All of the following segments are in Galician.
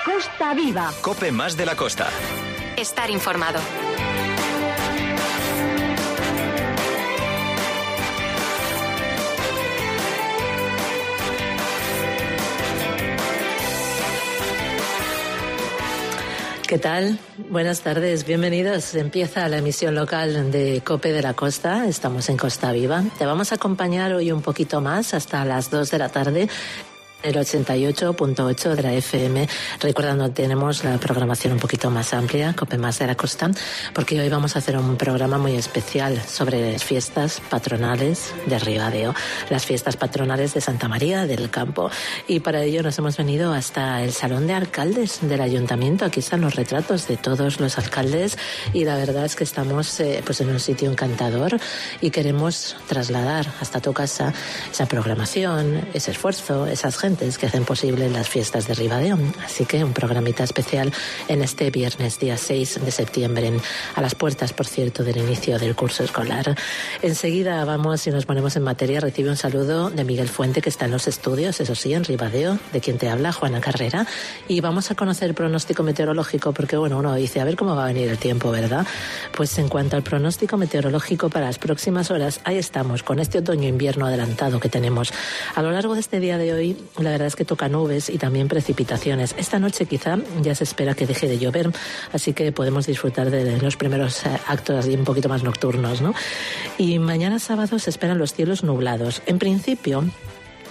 Costa Viva. COPE más de la costa. Estar informado. ¿Qué tal? Buenas tardes, bienvenidos. Empieza la emisión local de COPE de la Costa. Estamos en Costa Viva. Te vamos a acompañar hoy un poquito más hasta las 2 de la tarde. El 88.8 de la FM. Recordando, tenemos la programación un poquito más amplia, COPE más de la Costa, porque hoy vamos a hacer un programa muy especial sobre las fiestas patronales de Ribadeo, las fiestas patronales de Santa María del Campo. Y para ello nos hemos venido hasta el Salón de Alcaldes del Ayuntamiento. Aquí están los retratos de todos los alcaldes y la verdad es que estamos pues en un sitio encantador y queremos trasladar hasta tu casa esa programación, ese esfuerzo, esas gentes que hacen posible las fiestas de Ribadeo. Así que un programita especial en este viernes, día 6 de septiembre, a las puertas, por cierto, del inicio del curso escolar. Enseguida vamos y nos ponemos en materia. Recibe un saludo de Miguel Fuente, que está en los estudios, eso sí, en Ribadeo, de quien te habla, Juana Carrera. Y vamos a conocer el pronóstico meteorológico, porque bueno, uno dice, a ver cómo va a venir el tiempo, ¿verdad? Pues en cuanto al pronóstico meteorológico para las próximas horas, ahí estamos, con este otoño-invierno adelantado que tenemos. A lo largo de este día de hoy, la verdad es que toca nubes y también precipitaciones. Esta noche quizá ya se espera que deje de llover, así que podemos disfrutar de los primeros actos así un poquito más nocturnos, ¿no? Y mañana sábado se esperan los cielos nublados. En principio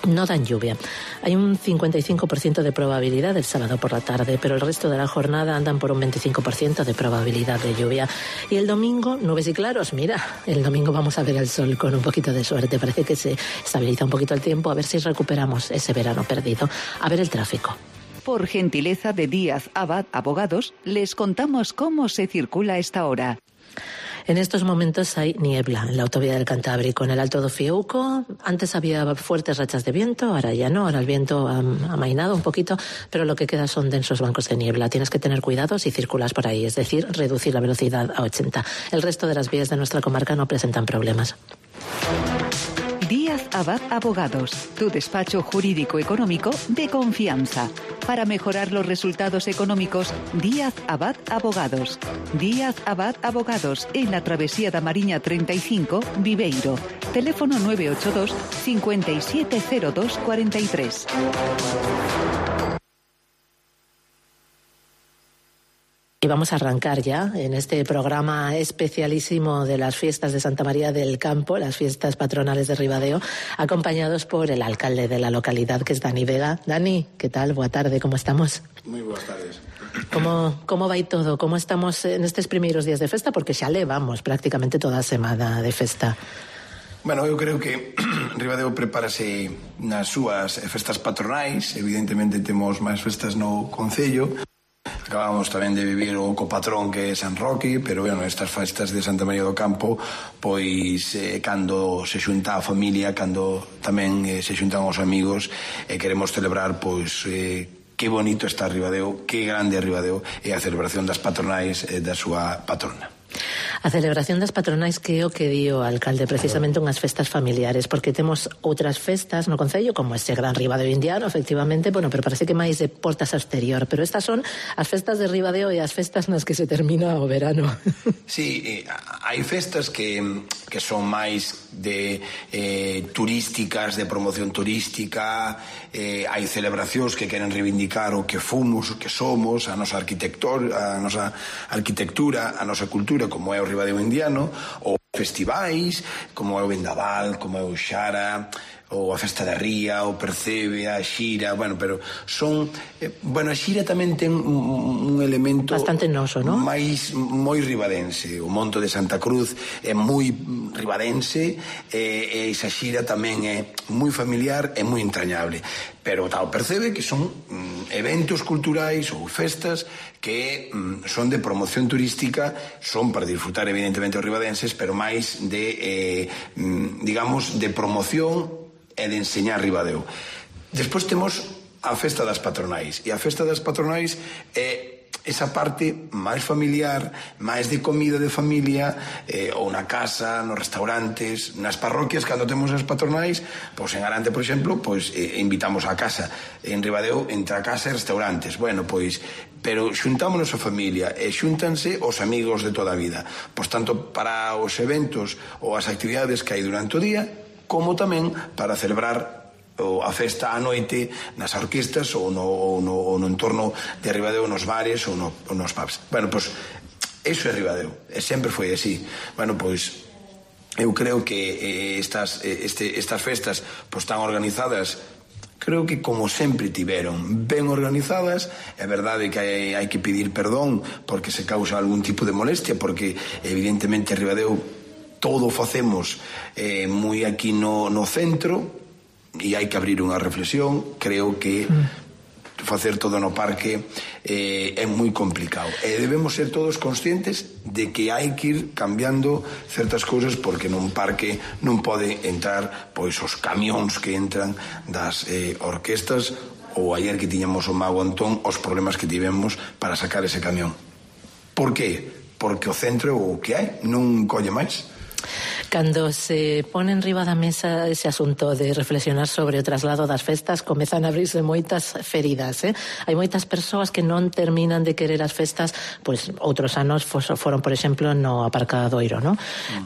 no dan lluvia. Hay un 55% de probabilidad el sábado por la tarde, pero el resto de la jornada andan por un 25% de probabilidad de lluvia. Y el domingo, nubes y claros. Mira, el domingo vamos a ver el sol con un poquito de suerte. Parece que se estabiliza un poquito el tiempo, a ver si recuperamos ese verano perdido. A ver el tráfico. Por gentileza de Díaz Abad Abogados, les contamos cómo se circula a esta hora. En estos momentos hay niebla en la autovía del Cantábrico, en el Alto do Fiuco. Antes había fuertes rachas de viento, ahora ya no, ahora el viento ha amainado un poquito, pero lo que queda son densos bancos de niebla. Tienes que tener cuidado si circulas por ahí, es decir, reducir la velocidad a 80. El resto de las vías de nuestra comarca no presentan problemas. Díaz Abad Abogados, tu despacho jurídico económico de confianza. Para mejorar los resultados económicos, Díaz Abad Abogados. Díaz Abad Abogados, en la Travesía da Mariña 35, Viveiro. Teléfono 982 5702 43. Y vamos a arrancar ya en este programa especialísimo de las fiestas de Santa María del Campo, las fiestas patronales de Ribadeo, acompañados por el alcalde de la localidad, que es Dani Vega. Dani, ¿qué tal? Boa tarde, ¿cómo estamos? Moi boas tardes. Como vai todo? Como estamos en estes primeiros días de festa? Porque xa levamos prácticamente toda a semana de festa. Bueno, eu creo que Ribadeo prepárase nas súas festas patronais. Evidentemente temos máis festas no concello. Acabamos tamén de vivir o copatrón, que é San Roque, pero bueno, estas festas de Santa María do Campo, pois cando se xunta a familia, cando tamén se xuntan os amigos, queremos celebrar pois que bonito está Ribadeo, que grande é Ribadeo, e a celebración das patronais da súa patrona. A celebración das patronais que é o que di o alcalde, precisamente unhas festas familiares, porque temos outras festas no concello, como ese gran Ribadeo indiano, efectivamente, bueno, pero parece que máis de portas ao exterior, pero estas son as festas de Ribadeo e as festas nas que se termina o verano. Sí, hai festas que son máis de turísticas, de promoción turística, hai celebracións que queren reivindicar o que fomos, o que somos, a nosa arquitectura, a nosa cultura, como é o Ribadeo indiano, ou festivais, como é o Vendaval, como é o Xara, ou a Festa da Ría, o Percebe, a Xira, bueno, pero son... Bueno, a Xira tamén ten un elemento... Bastante noso, non? Moi ribadense. O Monte de Santa Cruz é moi ribadense, e esa Xira tamén é moi familiar e moi entrañable. Pero tal, Percebe que son eventos culturais ou festas que son de promoción turística, son para disfrutar evidentemente os ribadenses, pero máis de, digamos, de promoción e de enseñar Ribadeo. Despois temos a Festa das Patronais, e a Festa das Patronais é esa parte máis familiar, máis de comida de familia, ou na casa, nos restaurantes, nas parroquias, cando temos as patronais, pois en Arante, por exemplo, pois invitamos á casa. En Ribadeo, entre a casa e restaurantes. Bueno, pois, pero xuntámonos a familia e xúntanse os amigos de toda a vida. Pois tanto para os eventos ou as actividades que hai durante o día, como tamén para celebrar a festa á noite nas orquestas ou no entorno de Ribadeo, nos bares ou nos pubs. Bueno, pois, iso é Ribadeo, e sempre foi así. Bueno, pois, eu creo que estas festas pois están organizadas, creo que como sempre tiveron, ben organizadas. É verdade que hai que pedir perdón porque se causa algún tipo de molestia, porque evidentemente Ribadeo todo facemos moi aquí no centro, e hai que abrir unha reflexión. Creo que facer todo no parque é moi complicado, e debemos ser todos conscientes de que hai que ir cambiando certas cousas, porque nun parque non pode entrar pois os camións que entran das orquestas, ou ayer que tiñamos o Mago Antón, os problemas que tivemos para sacar ese camión. Por qué? Porque o centro o que hai non colle máis. Cando se pone en riba da mesa ese asunto de reflexionar sobre o traslado das festas, comezan a abrirse moitas feridas, Hai moitas persoas que non terminan de querer as festas, pois outros anos foron, por exemplo, no Aparcadoiro, non?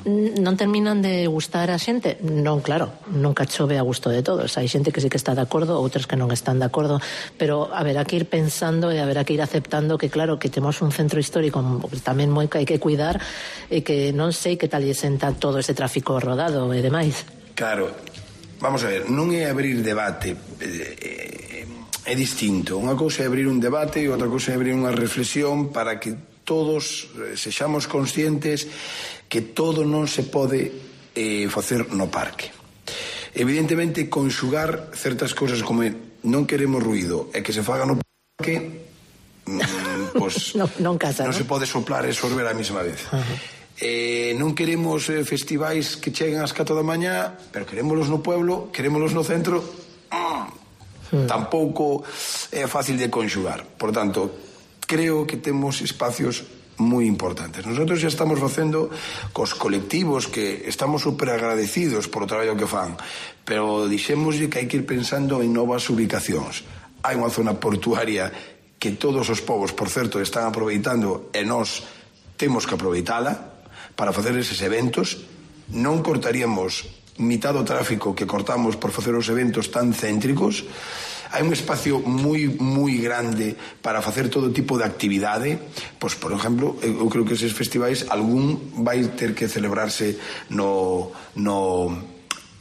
Non terminan de gustar a xente? Non, claro, nunca chove a gusto de todos. Hai xente que sí que está de acordo, outros que non están de acordo, pero haberá que ir pensando e haberá que ir aceptando que, claro, que temos un centro histórico tamén moi que hai que cuidar, e que non sei que tal lle senta todo ese tráfico rodado e demais. Claro, vamos a ver, non é abrir debate, é distinto. Unha cousa é abrir un debate e outra cousa é abrir unha reflexión para que todos sexamos conscientes que todo non se pode facer no parque. Evidentemente, conxugar certas cousas como non queremos ruido e que se faga no parque, pois non casa, non se pode soplar e sorber a mesma vez. Non queremos festivais que cheguen ás 4 da mañá, pero querémolos no pueblo, querémolos no centro. Tampouco é fácil de conxugar. Por tanto, creo que temos espacios moi importantes. Nosotros xa estamos facendo cos colectivos, que estamos super agradecidos por o traballo que fan, pero dixémoslle que hai que ir pensando en novas ubicacións. Hai unha zona portuaria que todos os povos, por certo, están aproveitando, e nós temos que aproveitala para facer eses eventos. Non cortaríamos mitad do tráfico que cortamos por facer os eventos tan céntricos. Hai un espacio moi grande para facer todo tipo de actividade. Pois, por exemplo, eu creo que eses festivais algún vai ter que celebrarse no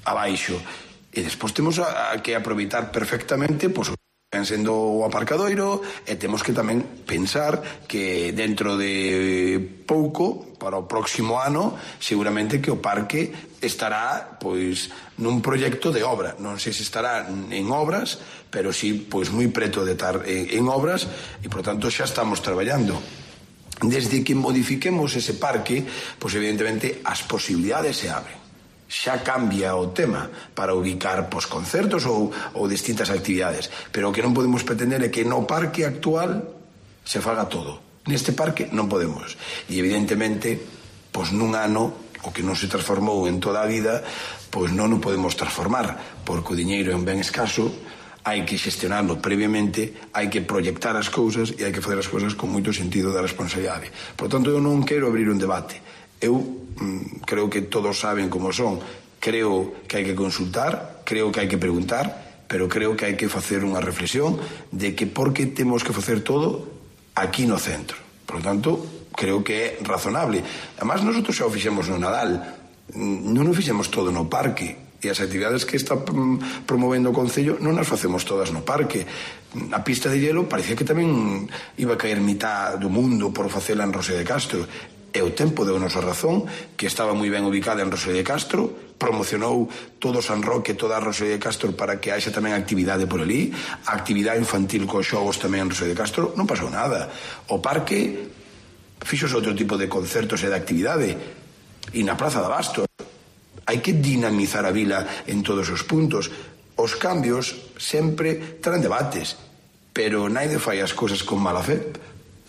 abaixo, e despois temos que aproveitar perfectamente, pois, sendo o Aparcadoiro, e temos que tamén pensar que dentro de pouco, para o próximo ano, seguramente que o parque estará pois nun proxecto de obra. Non sei se estará en obras, pero sí pois moi preto de estar en obras, e por tanto xa estamos traballando. Desde que modifiquemos ese parque, pois evidentemente as posibilidades se abren. Xa cambia o tema para ubicar concertos ou distintas actividades, pero o que non podemos pretender é que no parque actual se faga todo. Neste parque non podemos, e evidentemente pois nun ano o que non se transformou en toda a vida, pois non o podemos transformar, porque o diñeiro é un ben escaso. Hai que xestionarlo previamente, hai que proyectar as cousas e hai que facer as cousas con moito sentido da responsabilidade. Por tanto, eu non quero abrir un debate. Eu creo que todos saben como son. Creo que hai que consultar, creo que hai que preguntar, pero creo que hai que facer unha reflexión de que por que temos que facer todo aquí no centro. Por lo tanto, creo que é razonable. Además, nosotros xa o fixemos no Nadal, non o fixemos todo no parque, e as actividades que está promovendo o Concello non as facemos todas no parque. A pista de hielo parecía que tamén iba a caer mitad do mundo por facela en Rosé de Castro. E o tempo deu nosa razón, que estaba moi ben ubicada en Rosé de Castro, promocionou todo San Roque, toda a Rosé de Castro, para que haxa tamén actividade por ali, a actividade infantil cos xogos tamén en Rosé de Castro. Non pasou nada. O parque fixos outro tipo de concertos e de actividade, e na Praza de Abastos. Hai que dinamizar a vila en todos os puntos. Os cambios sempre traen debates, pero naide fai as cousas con mala fe.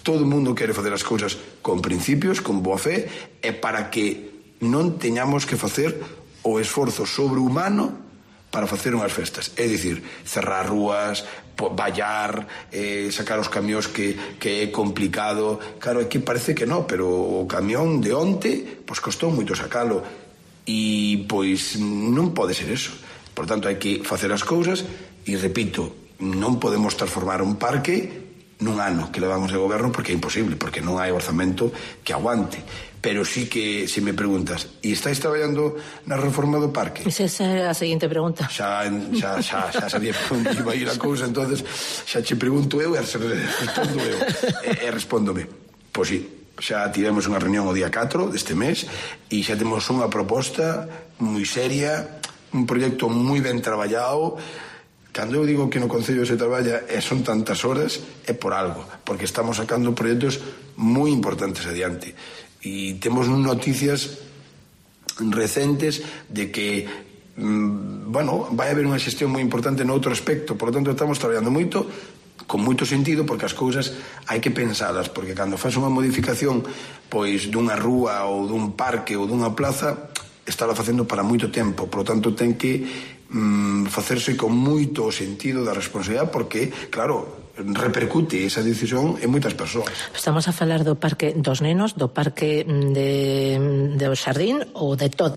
todo o mundo quere facer as cousas con principios, con boa fe, e para que non teñamos que facer o esforzo sobrehumano para facer unhas festas. É dicir, cerrar rúas, vallar, sacar os camións que é complicado. Claro, aquí parece que non, pero o camión de onte pois costou moito sacalo, e pois non pode ser eso. Por tanto, hai que facer as cousas, e repito, non podemos transformar un parque nun ano que levamos de goberno, porque é imposible, porque non hai orzamento que aguante. Pero sí que, se me preguntas, e estáis traballando na reforma do parque? Esa é a seguinte pregunta. Xa sabía por onde iba a ir a cousa, entonces xa che pregunto eu e respondo eu. E respóndome. Pois sí, xa tivemos unha reunión o día 4 deste mes e xa temos unha proposta moi seria, un proxecto moi ben traballado. Cando eu digo que no Concello se traballa e son tantas horas, é por algo, porque estamos sacando proxectos moi importantes adiante. E temos noticias recentes de que vai haber unha xestión moi importante noutro aspecto. Por lo tanto, estamos traballando moito, con moito sentido, porque as cousas hai que pensalas, porque cando faz unha modificación pois dunha rúa ou dun parque ou dunha plaza, estála facendo para moito tempo. Por lo tanto, ten que facerse con moito sentido da responsabilidade, porque, claro, repercute esa decisión en moitas persoas. Estamos a falar do parque dos nenos, do parque do xardín ou de todo?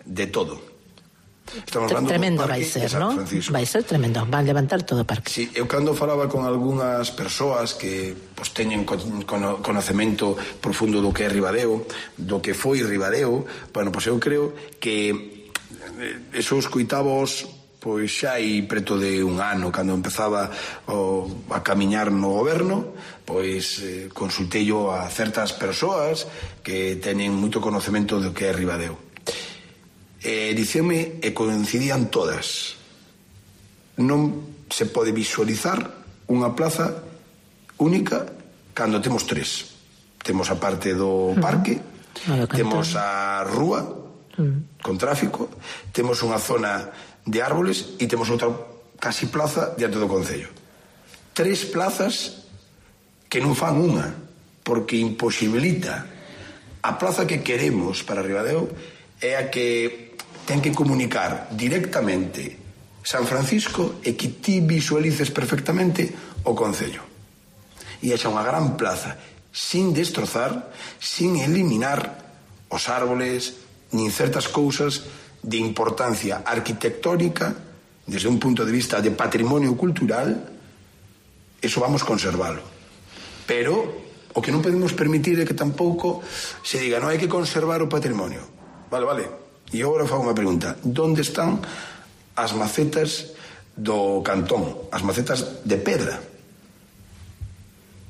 De todo. Tremendo vai ser, non? Vai ser tremendo, van levantar todo o parque. Sí, eu cando falaba con algunhas persoas que pois, teñen conocemento profundo do que é Ribadeo, do que foi Ribadeo, bueno, pois eu creo que esos coitabos pois xa hai preto de un ano, cando empezaba a camiñar no goberno, pois consultei yo a certas persoas que teñen moito conocemento do que é Ribadeo. Dicíame, e coincidían todas, non se pode visualizar unha plaza única cando temos tres. Temos a parte do parque, temos a rúa con tráfico, temos unha zona de árboles e temos outra casi plaza diante do Concello. Tres plazas que non fan unha, porque imposibilita. A plaza que queremos para Ribadeo é a que ten que comunicar directamente San Francisco e que ti visualices perfectamente o Concello. E é xa unha gran plaza, sin destrozar, sin eliminar os árboles, nin certas cousas de importancia arquitectónica desde un punto de vista de patrimonio cultural. Eso vamos conservalo, pero o que non podemos permitir é que tampouco se diga non hai que conservar o patrimonio. Vale, e agora fago unha pregunta: onde están as macetas do cantón, as macetas de pedra?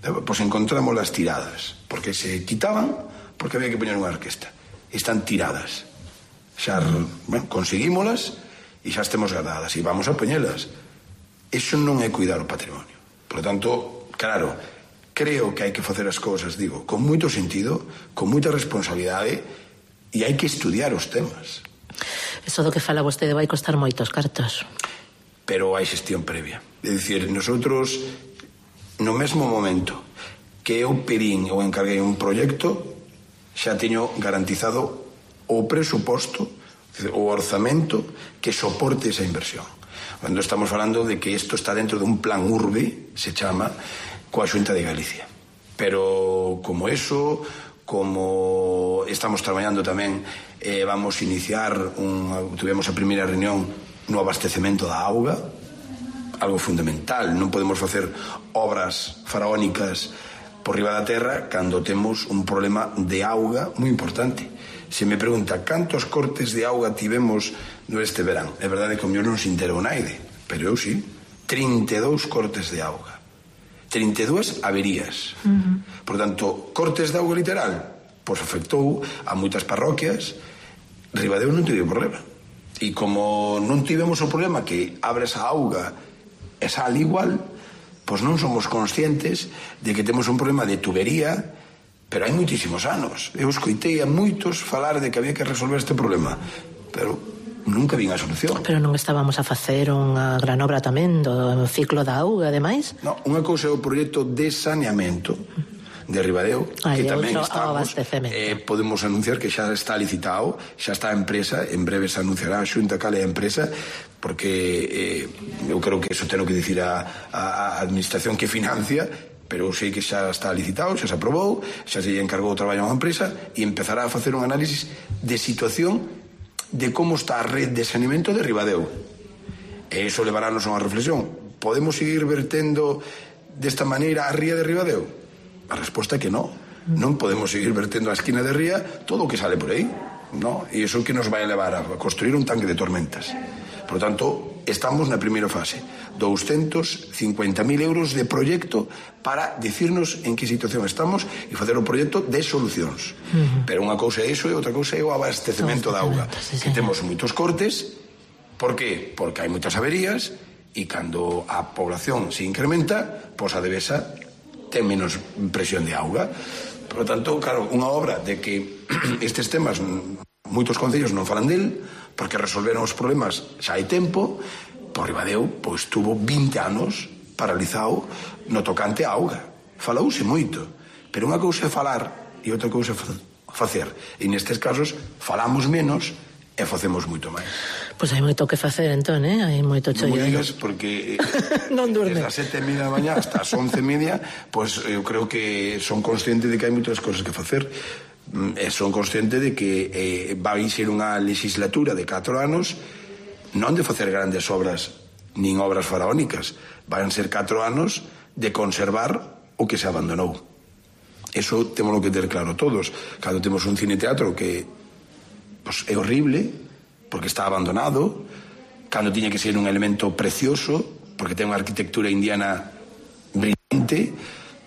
Pois encontrámoslas tiradas, porque se quitaban porque había que poñer unha orquesta. Están tiradas. Xa conseguímolas e xa estemos guardadas e vamos a poñelas. Eso non é cuidar o patrimonio. Por lo tanto, claro, creo que hai que facer as cousas, digo, con moito sentido, con moita responsabilidade, e hai que estudiar os temas. Eso do que fala vostede vai costar moitos cartos. Pero hai xestión previa. É dicir, nosotros, no mesmo momento que eu pedín ou encarguei un proxecto, xa teño garantizado o presuposto, o orzamento que soporte esa inversión. Cando estamos falando de que isto está dentro dun plan urbe, se chama, coa Xunta de Galicia. Pero como eso, como estamos traballando tamén, vamos a iniciar, tuvemos a primeira reunión no abastecemento da auga, algo fundamental. Non podemos facer obras faraónicas por riba da terra cando temos un problema de auga moi importante. Se me pregunta cantos cortes de auga tivemos neste verán, é verdade que o mellor non se enterou naide, pero eu sí, 32 cortes de auga, 32 averías. Por tanto, cortes de auga literal, pois afectou a moitas parroquias. Ribadeo non tivo problema, e como non tivemos o problema que abres a auga e sal igual, pois non somos conscientes de que temos un problema de tubería, pero hai moitísimos anos. Eu escoitei a moitos falar de que había que resolver este problema, pero nunca vin a solución. Pero non estábamos a facer unha gran obra tamén do ciclo da auga, ademais? Non, unha cousa é o proxecto de saneamento de Ribadeo, que tamén estamos, podemos anunciar que xa está licitado, xa está a empresa, en breve se anunciará a Xunta cal é a empresa, porque eu creo que eso ten que dicir a administración que financia, pero sei que xa está licitado, xa se aprobou, xa se encargou o traballo a unha empresa e empezará a facer un análisis de situación de como está a red de saneamento de Ribadeo. E iso levarános a unha reflexión. Podemos seguir vertendo desta maneira a ría de Ribadeo? A resposta é que non. Non podemos seguir vertendo a esquina de ría todo o que sale por aí, non? E iso que nos vai a levar a construir un tanque de tormentas. Por lo tanto, estamos na primeira fase. 250.000 euros de proxecto para dicirnos en que situación estamos e facer o proxecto de solucións. Pero unha cousa é iso e outra cousa é o abastecemento da auga. Que temos moitos cortes. Por qué? Porque hai moitas averías e cando a población se incrementa, pois a devesa ten menos presión de auga. Por lo tanto, claro, unha obra de que estes temas moitos concellos non falan del, porque resolveron os problemas xa hai tempo. Por Ribadeo, pois tuvo 20 anos paralizado no tocante a auga. Falouse moito, pero unha cousa é falar e outra cousa é facer. E nestes casos falamos menos e facemos moito máis. Pois hai moito que facer, entón, hai moito chollo. Non digas, porque non durme. Desde as 7:30 da mañá hasta as 11:30, pois eu creo que son consciente de que hai moitas cosas que facer. E son consciente de que vai ser unha legislatura de 4 anos non de facer grandes obras nin obras faraónicas, van ser 4 anos de conservar o que se abandonou. Eso temos que ter claro todos. Cando temos un cine-teatro que pues, é horrible porque está abandonado, cando tiña que ser un elemento precioso porque ten unha arquitectura indiana brillante,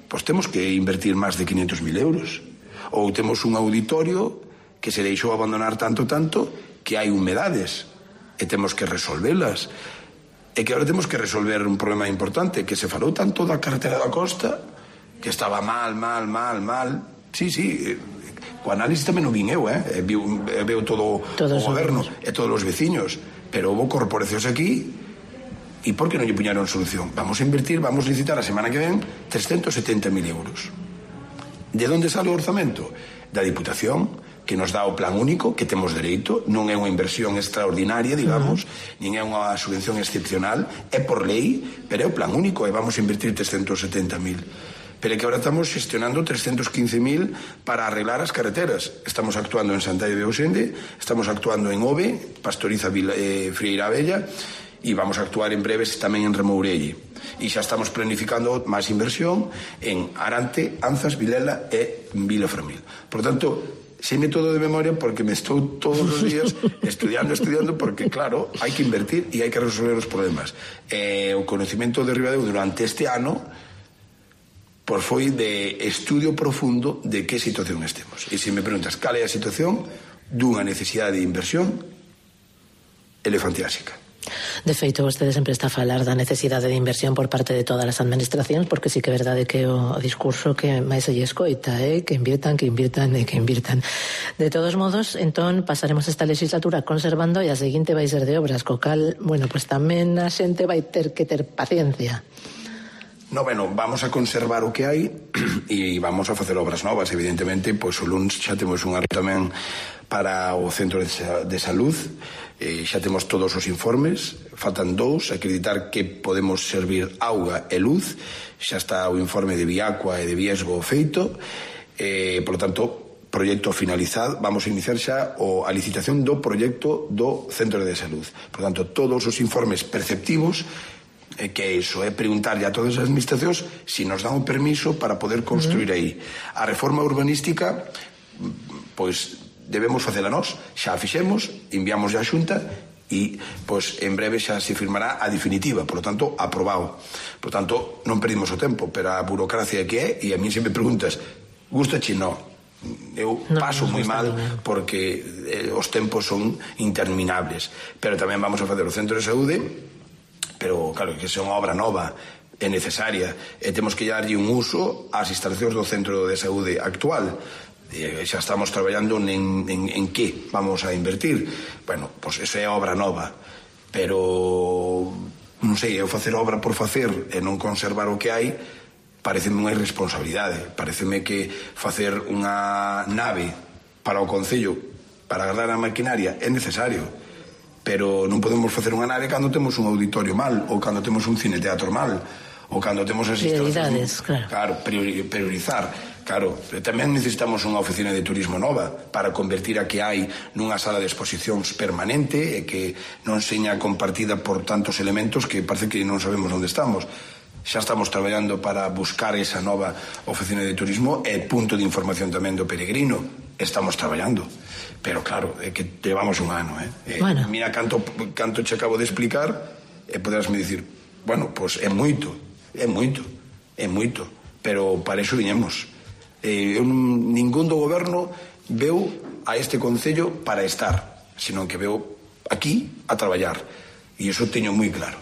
pues temos que invertir máis de 500.000 euros. Ou temos un auditorio que se deixou abandonar tanto que hai humedades e temos que resolvelas, e que agora temos que resolver un problema importante, que se falou tanto da carretera da costa que estaba mal. Sí, o análisis tamén o vin eu, veo todo o goberno e todos os veciños, pero houve corporacións aquí. E por que non lle puñaron solución? Vamos a invertir, vamos a licitar a semana que ven 370.000 euros. De onde sale o orzamento? Da Diputación, que nos dá o plan único, que temos dereito, non é unha inversión extraordinaria, digamos, nin é unha subvención excepcional, é por lei, pero é o plan único, e vamos a invertir 370.000. Pero é que agora estamos gestionando 315.000 para arreglar as carreteras. Estamos actuando en Santaio de Ausende, estamos actuando en Ove, Pastoriza Frieira Bella, e vamos a actuar en breves tamén en Remourelle. E xa estamos planificando máis inversión en Arante, Anzas, Vilela e Vilaframil. Por tanto, seime todo de memoria porque me estou todos os días estudiando, porque claro, hai que invertir e hai que resolver os problemas. O conocimiento de Ribadeo durante este ano pois foi de estudio profundo de que situación estemos. E se me preguntas cal é a situación dunha necesidade de inversión elefantiásica. De feito, vostede sempre está a falar da necesidade de inversión por parte de todas as administracións, porque sí que é verdade que o discurso que máis se lle escoita que invirtan. De todos modos, entón, pasaremos esta legislatura conservando e a seguinte vai ser de obras, co cal, bueno, pues tamén a xente vai ter que ter paciencia. No, bueno, vamos a conservar o que hai e vamos a facer obras novas, evidentemente, pois o luns xa temos unha tamén para o Centro de Salud, xa temos todos os informes, faltan 2, acreditar que podemos servir auga e luz, xa está o informe de Viacua e de Viesgo feito, por lo tanto, proxecto finalizado, vamos a iniciar xa a licitación do proxecto do Centro de Salud. Por lo tanto, todos os informes perceptivos, que iso é preguntarlle a todas as administracións se nos dan o permiso para poder construir aí. A reforma urbanística, pois debemos facela nós, xa a fixemos, enviamos a Xunta e pois en breve xa se firmará a definitiva, por lo tanto, aprobado. Por lo tanto, non perdimos o tempo, pero a burocracia que é, e a mí se me preguntas, gustache? Non. Eu paso moi mal porque os tempos son interminables, pero tamén vamos a facer o Centro de Saúde, pero claro, que se é unha obra nova é necesaria e temos que darlle un uso ás instalacións do Centro de Saúde actual. Xa estamos traballando en que vamos a invertir. Bueno, pois eso é obra nova, pero non sei, eu facer obra por facer e non conservar o que hai pareceme unha irresponsabilidade. Pareceme que facer unha nave para o Concello para agardar a maquinaria é necesario, pero non podemos facer unha nave cando temos un auditorio mal, ou cando temos un cineteatro mal, ou cando temos as prioridades, claro, priorizar. Claro, tamén necesitamos unha oficina de turismo nova para convertir a que hai nunha sala de exposicións permanente e que non seña compartida por tantos elementos que parece que non sabemos onde estamos. Xa estamos traballando para buscar esa nova oficina de turismo e punto de información tamén do peregrino. Estamos traballando, pero claro, é que levamos un ano, Bueno. Mira canto che acabo de explicar e poderasme dicir, bueno, pois é moito, pero para iso viñemos. Ningún do goberno veu a este Concello para estar, sino que veu aquí a traballar, e iso teño moi claro.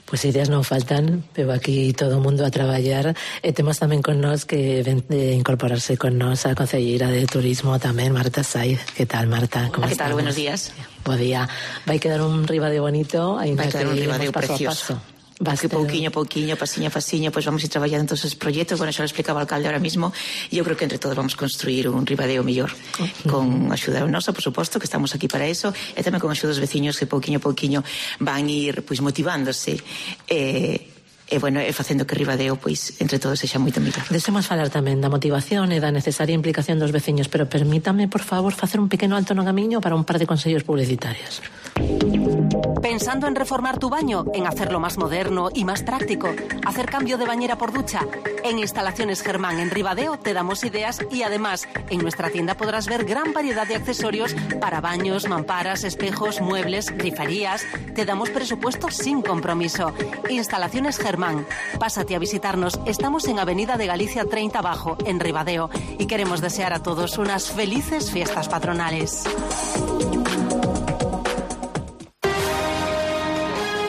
Pues ideas non faltan, pero aquí todo o mundo a traballar. E temos tamén con nós que ven de incorporarse con nós a concelleira de turismo tamén, Marta Saiz. Que tal, Marta? Hola, que tal? Buenos días. Bo día. Vai quedar un Ribadeo bonito, vai quedar un Ribadeo precioso. Que pouquiño, pasiño, pois vamos a ir traballando en todos os proxectos. Bueno, xa lo explicaba o alcalde ahora mismo, e eu creo que entre todos vamos construir un Ribadeo mellor, con axuda nosa, por suposto, que estamos aquí para eso, e tamén con axuda dos veciños que pouquiño van ir pois motivándose e bueno, e facendo que Ribadeo pois entre todos sexa moito mellor. Desemos falar tamén da motivación e da necesaria implicación dos veciños, pero permítame, por favor, facer un pequeno alto no camiño para un par de consellos publicitarios. ¿Pensando en reformar tu baño? ¿En hacerlo más moderno y más práctico? ¿Hacer cambio de bañera por ducha? En Instalaciones Germán en Ribadeo te damos ideas y además en nuestra tienda podrás ver gran variedad de accesorios para baños, mamparas, espejos, muebles, griferías. Te damos presupuesto sin compromiso. Instalaciones Germán. Pásate a visitarnos. Estamos en Avenida de Galicia 30 Bajo, en Ribadeo, y queremos desear a todos unas felices fiestas patronales.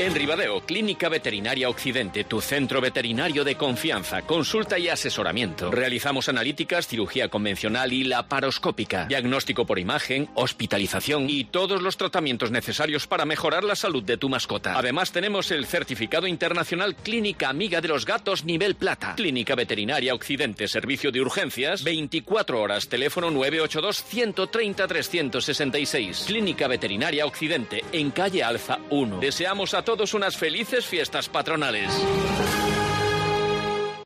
En Ribadeo, Clínica Veterinaria Occidente, tu centro veterinario de confianza, consulta y asesoramiento. Realizamos analíticas, cirugía convencional y laparoscópica, diagnóstico por imagen, hospitalización y todos los tratamientos necesarios para mejorar la salud de tu mascota. Además, tenemos el certificado internacional Clínica Amiga de los Gatos nivel plata. Clínica Veterinaria Occidente, servicio de urgencias, 24 horas, teléfono 982 130 366. Clínica Veterinaria Occidente, en calle Alza 1. Deseamos a todos unas felices fiestas patronales.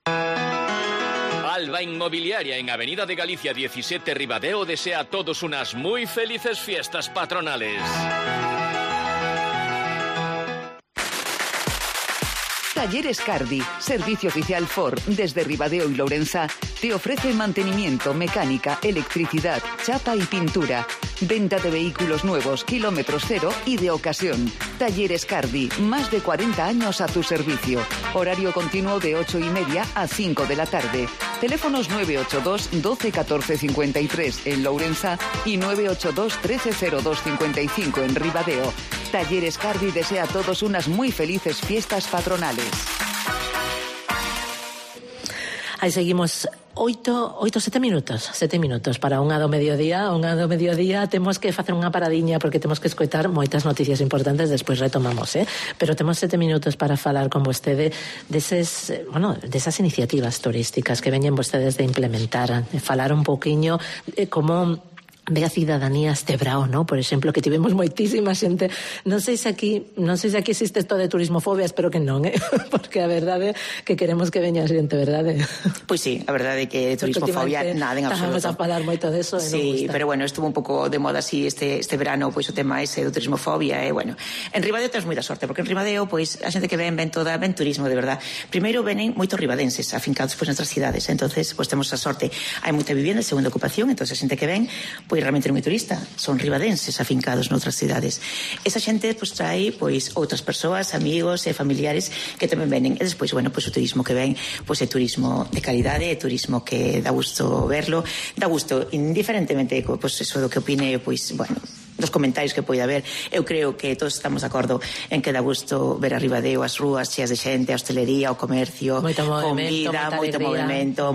Alba Inmobiliaria en Avenida de Galicia 17 Ribadeo desea a todos unas muy felices fiestas patronales. Talleres Cardi, servicio oficial Ford desde Ribadeo y Lourenza, te ofrece mantenimiento, mecánica, electricidad, chapa y pintura. Venta de vehículos nuevos, kilómetros cero y de ocasión. Talleres Cardi, más de 40 años a tu servicio. Horario continuo de 8:30 a 5 de la tarde. Teléfonos 982 12 14 53 en Lourenza y 982 13 02 55 en Ribadeo. Talleres Cardi desea a todos unas muy felices fiestas patronales. Aí seguimos 7 minutos para unha do mediodía. Temos que facer unha paradiña porque temos que escoitar moitas noticias importantes, despois retomamos, pero temos 7 minutos para falar con vostede desas iniciativas turísticas que veñen vostedes de implementar, falar un pouquiño como ve a cidadanía este brao, ¿no? Por exemplo, que tivemos moitísima xente. Non sei se aquí existe isto de turismofobia, espero que non, porque a verdade é que queremos que veña xente, verdade? Pois sí, a verdade é que turismofobia nada en absoluto. Estamos a falar moito deso e non gusta. Sí, pero bueno, estuvo un pouco de moda así este verano, pois o tema ese do turismofobia, e bueno, en Ribadeo temos moita sorte, porque en Ribadeo, pois, a xente que ven turismo de verdad. Primeiro venen moitos ribadenses afincados pois nestras cidades, entonces pois temos a sorte, hai moita vivienda de segunda ocupación, entonces a xente que ven, pois realmente non é turista, son ribadenses afincados noutras cidades. Esa xente pois trae pois outras persoas, amigos e familiares que tamén venen. E despois, bueno, pois o turismo que ven, pois é turismo de calidade, é turismo que dá gusto verlo, dá gusto indiferentemente pois eso do que opine, pois, bueno, dos comentarios que poida haber. Eu creo que todos estamos de acordo en que dá gusto ver a Ribadeo, as rúas cheas de xente, a hostelería, o comercio, comida, moito movimento,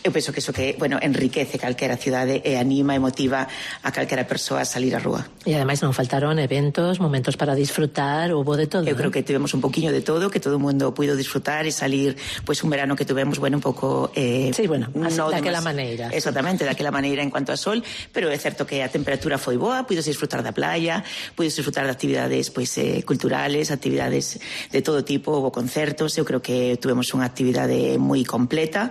eu penso que iso que, bueno, enriquece calquera cidade e anima e motiva a calquera persoa a salir á rúa. E ademais non faltaron eventos, momentos para disfrutar, hubo de todo. Eu creo que tivemos un poquinho de todo, que todo o mundo puido disfrutar e salir, pois un verano que tuvemos, bueno, un pouco sí, bueno, daquela maneira. Exactamente, daquela maneira en cuanto a sol, pero é certo que a temperatura foi boa, puides disfrutar da playa, puides disfrutar de actividades pois culturales, actividades de todo tipo, houve concertos, eu creo que tuvemos unha actividade moi completa,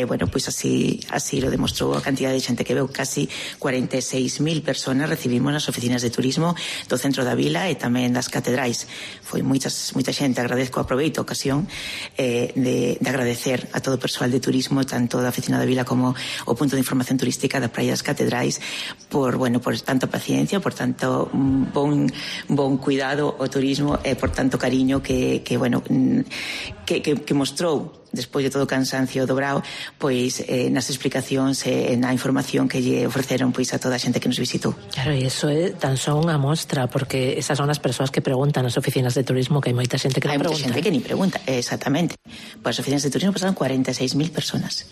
bueno, pois así lo demostrou a cantidad de xente que veu, casi 46.000 personas recibimos nas oficinas de turismo do centro da vila e tamén das catedrais. Foi moita xente, agradezco, aproveito a ocasión de agradecer a todo o persoal de turismo, tanto da oficina da vila como o punto de información turística da Praia das Catedrais, por tanta paciencia, por tanto bon cuidado ao turismo e por tanto cariño que mostrou despois de todo o cansancio dobrado, pois nas explicacións e na información que lle ofreceron pois a toda a xente que nos visitou. Claro, e iso é tan só unha mostra, porque esas son as persoas que preguntan nas oficinas de turismo, que hai moita xente que non pregunta. Hai moita xente que ni pregunta, exactamente. Pois as oficinas de turismo pasaron 46.000 personas.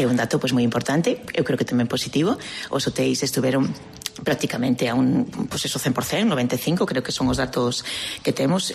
É un dato pois moi importante, eu creo que tamén positivo. Os hotéis estuveron prácticamente a un, pues eso, 100%, 95%, creo que son os datos que temos,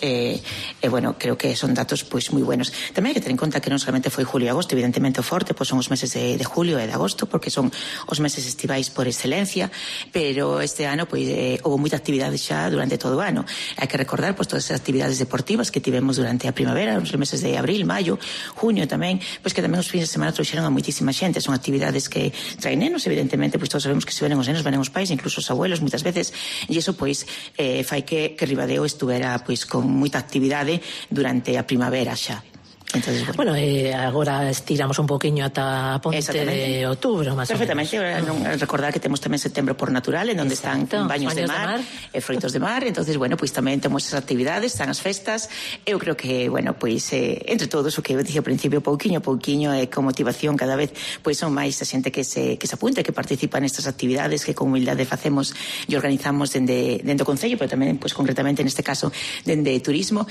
bueno, creo que son datos pois moi buenos. Tamén hai que ter en conta que non solamente foi julio e agosto, evidentemente o forte pois son os meses de julio e de agosto, porque son os meses estivais por excelencia, pero este ano pois houve moita actividade xa durante todo o ano. Hai que recordar pois todas as actividades deportivas que tivemos durante a primavera, os meses de abril, maio, junio tamén, pois que tamén os fins de semana trouxeron a moitísima xente. Son actividades que traen nenos, evidentemente, pois todos sabemos que se venen os nenos, venen os pais, incluso os abuelos moitas veces, e iso pois fai que Ribadeo estuvera pois con moita actividade durante a primavera xa. Entonces, bueno, agora estiramos un poquinho ata a ponte de outubro, máis perfectamente, ou menos. Recordar que temos tamén setembro por natural, en onde están baños de mar e froitos de mar, entonces, bueno, pois tamén temos esas actividades, están as festas. Eu creo que, bueno, pois entre todos, o que eu dixo ao principio, pouquiño e con motivación cada vez, pois son máis a xente que se apunta, que participa nestas actividades que con humildade facemos e organizamos dende o Concello, pero tamén, pois concretamente neste caso, dende turismo.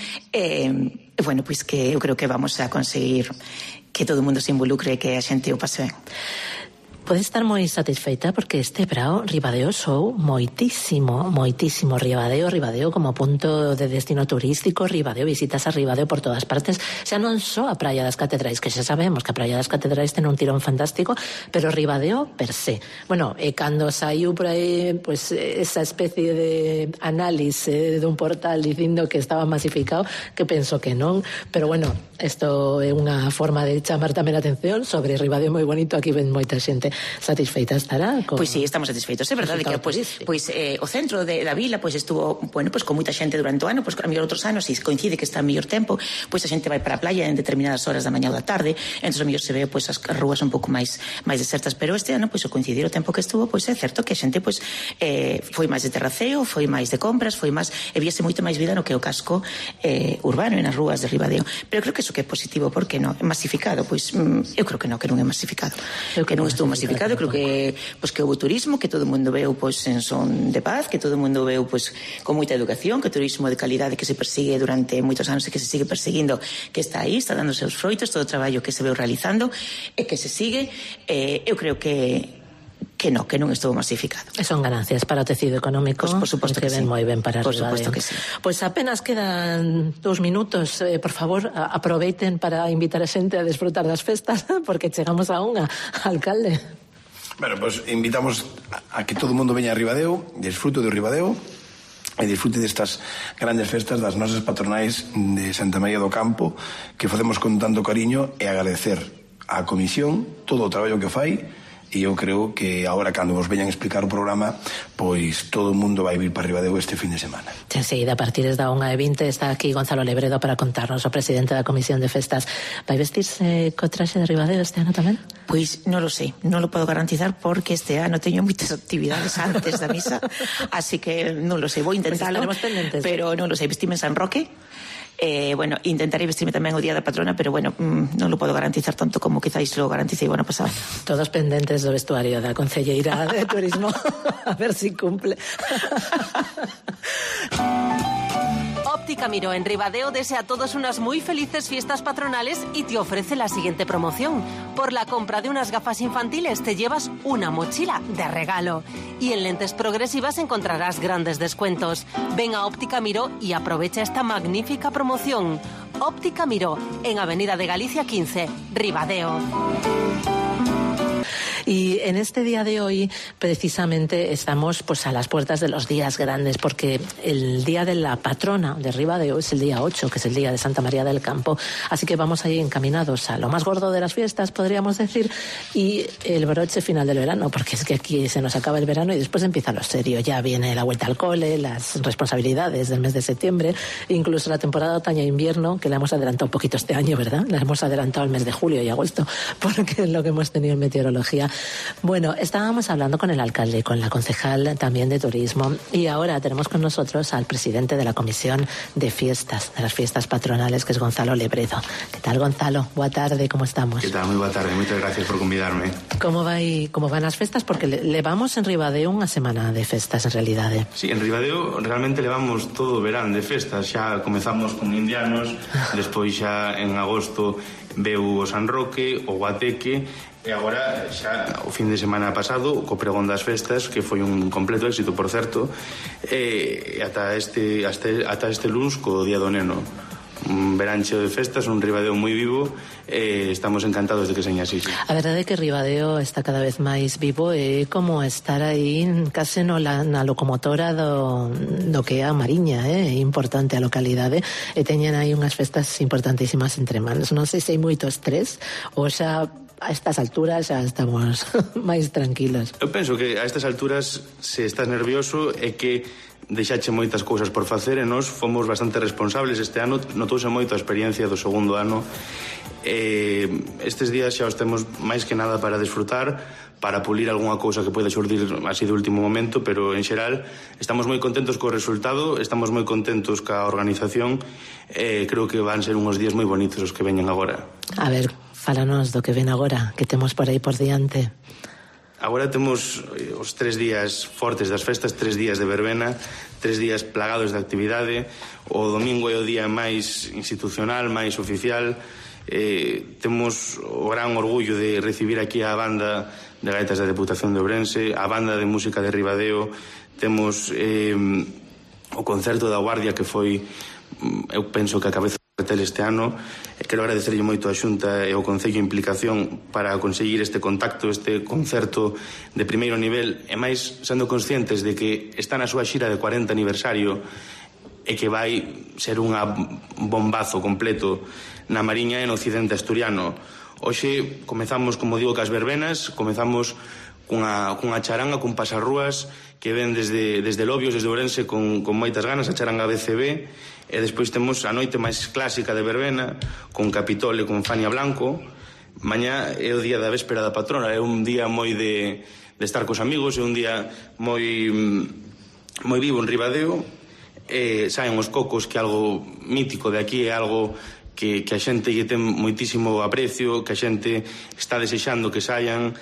Bueno, pois que eu creo que vamos a conseguir que todo o mundo se involucre e que a xente o pase ben. Pode estar moi satisfeita porque este brao Ribadeo sou moitísimo Ribadeo como punto de destino turístico, Ribadeo, visitas a Ribadeo por todas partes, xa non só a Praia das Catedrais, que xa sabemos que a Praia das Catedrais ten un tirón fantástico, pero Ribadeo per se. Bueno, e cando saiu por aí pues, esa especie de análise dun portal dicindo que estaba masificado, que penso que non, pero bueno, isto é unha forma de chamar tamén a atención sobre Ribadeo moi bonito, aquí ven moita xente. Satisfeita estará? Pois sí, estamos satisfeitos. É verdade que o centro da vila pois estuvo, bueno, pois con moita xente durante o ano, pois a mellor outros anos, e coincide que está en mellor tempo, pois a xente vai para a playa en determinadas horas da mañá ou da tarde, entón a mellor se ve pois as rúas un pouco máis desertas, pero este ano pois o coincidir o tempo que estuvo, pois é certo que a xente pois foi máis de terraceo, foi máis de compras, foi máis, e viese moito máis vida no que o casco urbano e nas rúas de Ribadeo. Pero creo que iso que é positivo, porque non é masificado, pois eu creo que non é masificado, que non estuvo masificado. Creo que houve turismo, que todo o mundo veu pois en son de paz, que todo o mundo veu pois con moita educación, que turismo de calidade que se persigue durante moitos anos e que se sigue perseguindo, que está aí, está dando seus froitos, todo o traballo que se veu realizando e que se sigue. Eu creo que non estuvo masificado. E son ganancias para o tecido económico, por suposto que ven moi ben para por Ribadeo. Suposto que sí. Pois apenas quedan 2 minutos, por favor, aproveiten para invitar a xente a desfrutar das festas, porque chegamos a unha, alcalde. Bueno, pues invitamos a que todo o mundo veña a Ribadeo, disfrute do Ribadeo e disfrute destas grandes festas das nosas patronais de Santa María do Campo, que facemos con tanto cariño, e agradecer á comisión todo o traballo que fai. E eu creo que agora, cando vos veñan explicar o programa, pois todo o mundo vai vir para Ribadeo este fin de semana. Enseguida, a partir da 1:20, está aquí Gonzalo Lebredo para contarnos, o presidente da Comisión de Festas. Vai vestirse co traxe de Ribadeo este ano tamén? Pois non lo sei, non lo podo garantizar porque este ano teño moitas actividades antes da misa, así que non lo sei, vou intentarlo, pues pero non lo sei. Vestime en San Roque, Bueno, intentarei vestirme tamén o día da patrona, pero bueno, non lo podo garantizar tanto como quizáis lo garanticei o ano pasado. Todos pendentes do vestuario da Concelleira de Turismo. A ver si cumple. Óptica Miró en Ribadeo desea a todos unas muy felices fiestas patronales y te ofrece la siguiente promoción. Por la compra de unas gafas infantiles te llevas una mochila de regalo. Y en lentes progresivas encontrarás grandes descuentos. Ven a Óptica Miró y aprovecha esta magnífica promoción. Óptica Miró, en Avenida de Galicia 15, Ribadeo. Y en este día de hoy, precisamente, estamos pues a las puertas de los días grandes, porque el día de la patrona de Ribadeo es el día 8, que es el día de Santa María del Campo. Así que vamos ahí encaminados a lo más gordo de las fiestas, podríamos decir, y el broche final del verano, porque es que aquí se nos acaba el verano y después empieza lo serio. Ya viene la vuelta al cole, las responsabilidades del mes de septiembre, incluso la temporada otoño-invierno, que la hemos adelantado un poquito este año, ¿verdad? La hemos adelantado al mes de julio y agosto, porque es lo que hemos tenido en meteorología. Bueno, estábamos hablando con el alcalde, con la concejal también de turismo, y ahora tenemos con nosotros al presidente de la Comisión de Fiestas, de las fiestas patronales, que es Gonzalo Lebredo. ¿Qué tal, Gonzalo? Boa tarde, ¿cómo estamos? ¿Qué tal? Muy boa tarde, muchas gracias por convidarme. ¿Cómo van as festas? Porque levamos en Ribadeo unha semana de festas, en realidade. Sí, en Ribadeo realmente levamos todo o verán de festas. Xa comezamos con indianos, despois xa en agosto veu o San Roque, o Guateque, e agora xa o fin de semana pasado co pregón das festas, que foi un completo éxito, por certo, e ata este luns co Día do Neno. Un verán cheo de festas, un Ribadeo moi vivo, e estamos encantados de que seña así. A verdade é que Ribadeo está cada vez máis vivo, e como estar aí case na locomotora do que é a Mariña, é importante a localidade, e teñen aí unhas festas importantísimas entre manos. Non sei se hai moito estrés ou xa a estas alturas xa estamos máis tranquilos. Eu penso que a estas alturas, se estás nervioso, é que deixache moitas cousas por facer, e nós fomos bastante responsables este ano. Notouse moito a experiencia do segundo ano. Estes días xa os temos máis que nada para desfrutar, para pulir algunha cousa que pode xurdir así de último momento, pero en xeral estamos moi contentos co resultado, estamos moi contentos ca organización, e creo que van ser unhos días moi bonitos os que veñen agora. A ver, fálanos do que ven agora, que temos por aí por diante. Agora temos os 3 días fortes das festas, 3 días de verbena, 3 días plagados de actividade. O domingo é o día máis institucional, máis oficial. Temos o gran orgullo de recibir aquí a banda de gaitas da Deputación de Ourense, a banda de música de Ribadeo. Temos o concerto da Guardia, que foi, eu penso que a cabeza este ano. Quero agradecerlle moito a Xunta e ao Concello a implicación para conseguir este contacto, este concerto de primeiro nivel, e máis sendo conscientes de que está na súa xira de 40 aniversario e que vai ser un bombazo completo na Mariña e no occidente asturiano. Hoxe comezamos, como digo, cas verbenas, comezamos cunha charanga, cun pasarrúas que ven desde Lobios, desde Ourense, con moitas ganas, a charanga BCB. E despois temos a noite máis clásica de verbena, con Capitol e con Fania Blanco. Mañá é o día da véspera da patrona, é un día moi de estar cos amigos, é un día moi vivo en Ribadeo. Saen os cocos, que é algo mítico de aquí, é algo que a xente lle ten moitísimo aprecio, que a xente está desexando que saian,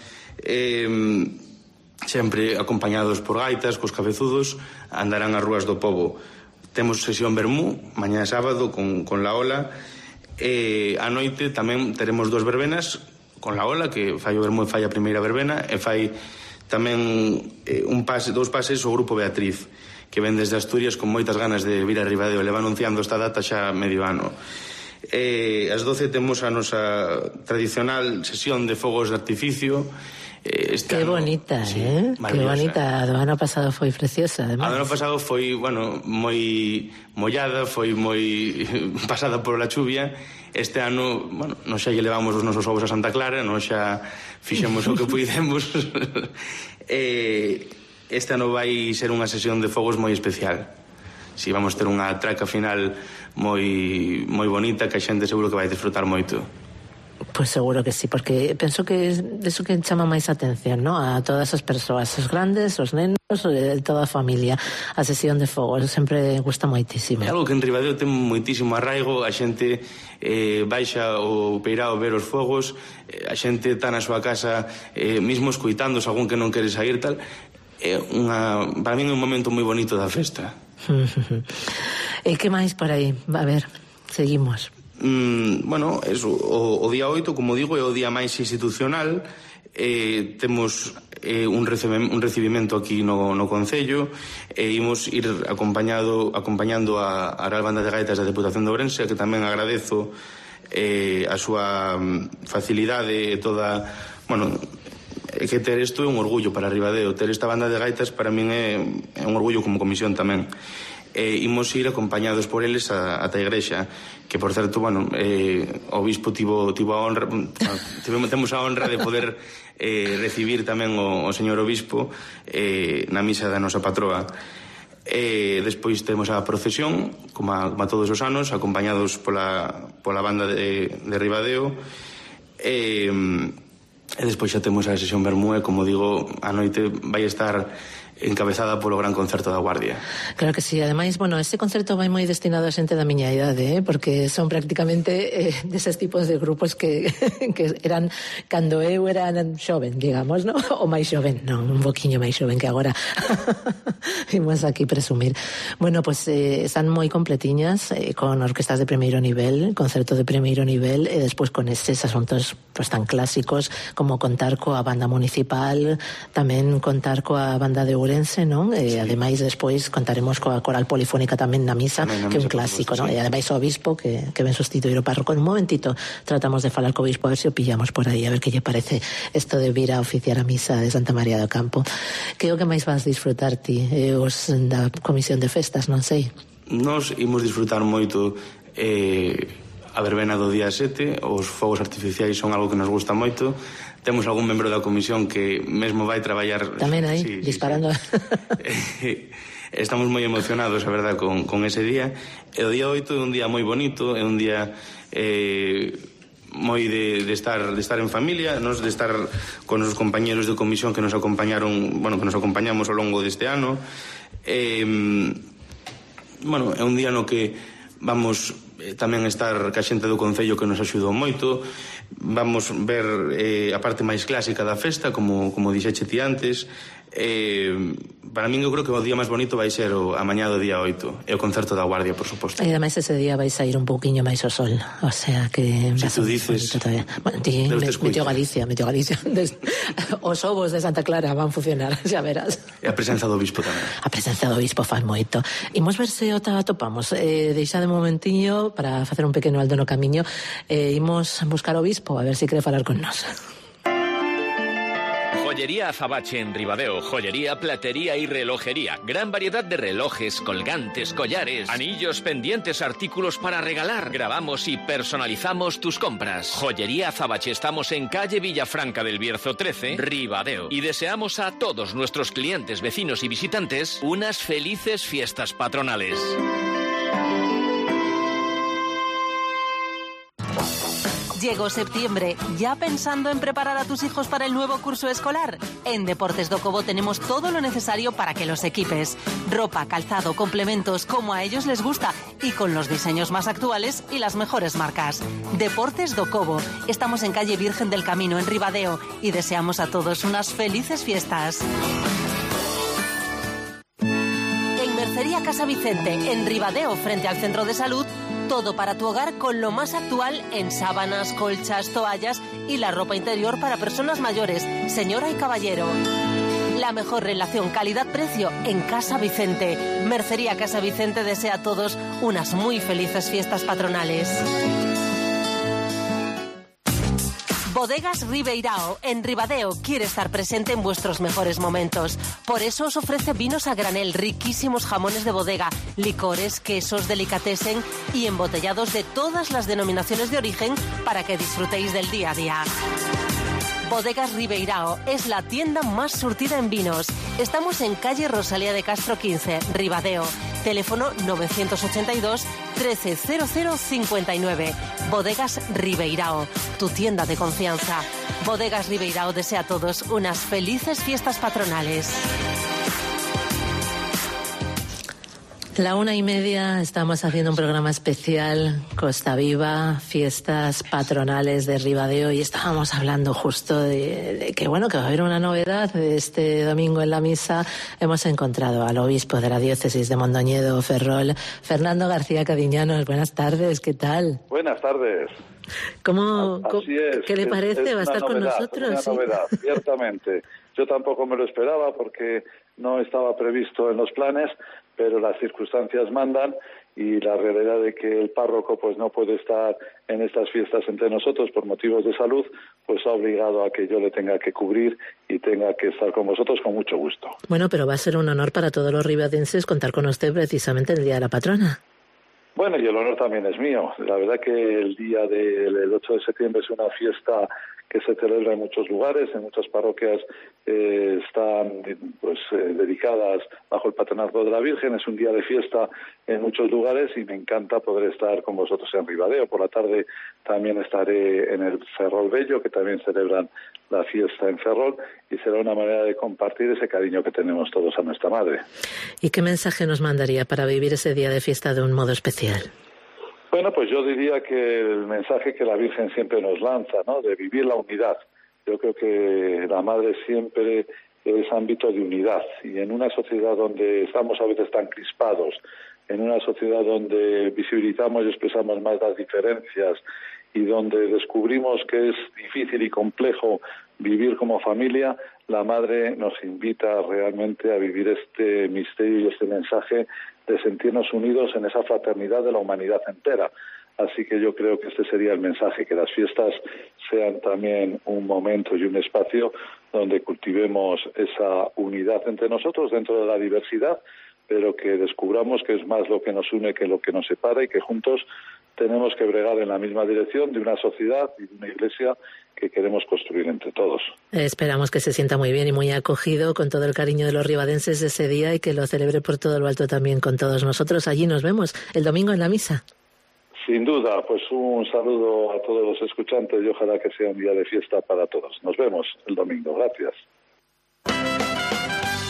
sempre acompañados por gaitas, cos cabezudos, andarán as rúas do pobo. Temos sesión vermú, mañá sábado, con la Ola, e a noite tamén teremos 2 verbenas con la Ola, que fai o vermú e fai a primeira verbena, e fai tamén 2 pases o Grupo Beatriz, que ven desde Asturias con moitas ganas de vir a Ribadeo, le va anunciando esta data xa medio ano. Ás 12 temos a nosa tradicional sesión de fogos de artificio. Qué bonita, sí, qué bonita. Do ano pasado foi preciosa, además. Do ano pasado foi, moi mollada, foi moi pasada por la chuvia. Este ano, nos xa lle levamos os nosos ovos a Santa Clara, nos xa fixemos o que puidemos. Este ano vai ser unha sesión de fogos moi especial. Si vamos ter unha traca final moi bonita, que a xente seguro que vai disfrutar moito. Pois seguro que sí, porque penso que é eso que chama máis atención, ¿no? A todas as persoas, os grandes, os nenos, toda a familia. A sesión de fogos sempre gusta moitísimo. É algo que en Ribadeo ten moitísimo arraigo, a xente baixa o peirao ver os fogos, a xente está na súa casa mismo escoitando algún que non quere sair, tal. É para mí é un momento moi bonito da festa. E que máis por aí? A ver, seguimos. Bueno, eso, o día 8, como digo, é o día máis institucional. Temos un recibimento aquí no Concello, imos ir acompañando a Real Banda de Gaitas da Deputación de Ourense, que tamén agradezo a súa facilidade e toda, bueno, que ter isto é un orgullo para Ribadeo, ter esta banda de gaitas para min é un orgullo como comisión tamén. Imos ir acompañados por eles ata a igrexa, que por certo, bueno, o obispo tivo a honra, temos a honra de poder recibir tamén o señor obispo na misa da nosa patroa. Despois temos a procesión, como a todos os anos, acompañados pola banda de Ribadeo, e despois xa temos a sesión Bermúe, como digo, a noite vai estar encabezada polo gran concerto da Guardia. Claro que sí, ademais, bueno, ese concerto vai moi destinado a xente da miña idade, porque son prácticamente deses tipos de grupos que eran cando eu era xoven, digamos, ¿no? O máis xoven, non, un poquinho máis xoven que agora. Imos aquí presumir. Bueno, pues están moi completiñas, con orquestas de primeiro nivel, concerto de primeiro nivel, e despois con eses asuntos pues tan clásicos como contar coa banda municipal, tamén contar coa banda de Ourense, non? E ademais despois contaremos coa coral polifónica tamén na misa, que é un clásico, non? E ademais o obispo que ven sustituir o párroco. En un momentito tratamos de falar co obispo a ver se o pillamos por aí, a ver que lle parece isto de vir a oficiar a misa de Santa María do Campo. Que é o que máis vas disfrutar ti, os da Comisión de Festas, non sei? Nos imos disfrutar moito a verbena do día 7, os fogos artificiais son algo que nos gusta moito. Temos algún membro da comisión que mesmo vai traballar tamén aí, disparando. Sí. Estamos moi emocionados, a verdad, con ese día. E o día 8 é un día moi bonito, é un día moi de estar en familia, de estar con os compañeros de comisión que nos acompañaron, bueno, que nos acompañamos ao longo deste ano. Bueno, é un día no que vamos tamén estar ca xente do Concello que nos axudou moito. Vamos ver a parte máis clásica da festa, como dixeche ti antes. Para min eu creo que o día máis bonito vai ser a mañá do día 8, e o concerto da Guardia, por suposto. E ademais ese día vai sair un pouquiño máis o sol, o sea que... Si tú dices... Bueno, ti, meteo Galicia. Os ovos de Santa Clara van funcionar, xa verás. E a presenza do obispo tamén. A presenza do obispo fan moito. Imos ver se o atopamos. Deixa de momentiño para facer un pequeno aldo no camiño. Imos buscar o obispo, a ver se quere falar con nós. Joyería Azabache en Ribadeo, joyería, platería y relojería. Gran variedad de relojes, colgantes, collares, anillos, pendientes, artículos para regalar. Grabamos y personalizamos tus compras. Joyería Azabache, estamos en calle Villafranca del Bierzo 13, Ribadeo. Y deseamos a todos nuestros clientes, vecinos y visitantes unas felices fiestas patronales. Llegó septiembre, ¿ya pensando en preparar a tus hijos para el nuevo curso escolar? En Deportes do Cobo tenemos todo lo necesario para que los equipes. Ropa, calzado, complementos, como a ellos les gusta y con los diseños más actuales y las mejores marcas. Deportes do Cobo. Estamos en calle Virgen del Camino, en Ribadeo, y deseamos a todos unas felices fiestas. En Mercería Casa Vicente, en Ribadeo, frente al Centro de Salud, todo para tu hogar con lo más actual en sábanas, colchas, toallas y la ropa interior para personas mayores, señora y caballero. La mejor relación calidad-precio en Casa Vicente. Mercería Casa Vicente desea a todos unas muy felices fiestas patronales. Bodegas Ribeirao, en Ribadeo, quiere estar presente en vuestros mejores momentos. Por eso os ofrece vinos a granel, riquísimos jamones de bodega, licores, quesos, delicatessen y embotellados de todas las denominaciones de origen para que disfrutéis del día a día. Bodegas Ribeirao es la tienda más surtida en vinos. Estamos en calle Rosalía de Castro 15, Ribadeo. Teléfono 982 130059. Bodegas Ribeirao, tu tienda de confianza. Bodegas Ribeirao desea a todos unas felices fiestas patronales. 1:30, estamos haciendo un programa especial, Costa Viva, fiestas patronales de Ribadeo, y estábamos hablando justo de que, bueno, que va a haber una novedad. Este domingo en la misa hemos encontrado al obispo de la diócesis de Mondoñedo, Ferrol, Fernando García Cadiñanos. Buenas tardes, ¿qué tal? Buenas tardes. ¿Qué le parece? ¿Va a estar con nosotros? Es una novedad, ciertamente. Yo tampoco me lo esperaba porque no estaba previsto en los planes, pero las circunstancias mandan, y la realidad de que el párroco pues no puede estar en estas fiestas entre nosotros por motivos de salud, pues ha obligado a que yo le tenga que cubrir y tenga que estar con vosotros con mucho gusto. Bueno, pero va a ser un honor para todos los ribadenses contar con usted precisamente el Día de la Patrona. Bueno, y el honor también es mío. La verdad que el día del 8 de septiembre es una fiesta que se celebra en muchos lugares, en muchas parroquias están dedicadas bajo el patronazgo de la Virgen. Es un día de fiesta en muchos lugares y me encanta poder estar con vosotros en Ribadeo. Por la tarde también estaré en el Ferrol Bello, que también celebran la fiesta en Ferrol, y será una manera de compartir ese cariño que tenemos todos a nuestra Madre. ¿Y qué mensaje nos mandaría para vivir ese día de fiesta de un modo especial? Bueno, pues yo diría que el mensaje que la Virgen siempre nos lanza, ¿no?, de vivir la unidad. Yo creo que la Madre siempre es ámbito de unidad, y en una sociedad donde estamos a veces tan crispados, en una sociedad donde visibilizamos y expresamos más las diferencias y donde descubrimos que es difícil y complejo vivir como familia, la Madre nos invita realmente a vivir este misterio y este mensaje de sentirnos unidos en esa fraternidad de la humanidad entera. Así que yo creo que este sería el mensaje, que las fiestas sean también un momento y un espacio donde cultivemos esa unidad entre nosotros dentro de la diversidad, pero que descubramos que es más lo que nos une que lo que nos separa, y que juntos tenemos que bregar en la misma dirección de una sociedad y de una iglesia que queremos construir entre todos. Esperamos que se sienta muy bien y muy acogido con todo el cariño de los ribadenses de ese día, y que lo celebre por todo lo alto también con todos nosotros. Allí nos vemos el domingo en la misa. Sin duda, pues un saludo a todos los escuchantes y ojalá que sea un día de fiesta para todos. Nos vemos el domingo. Gracias.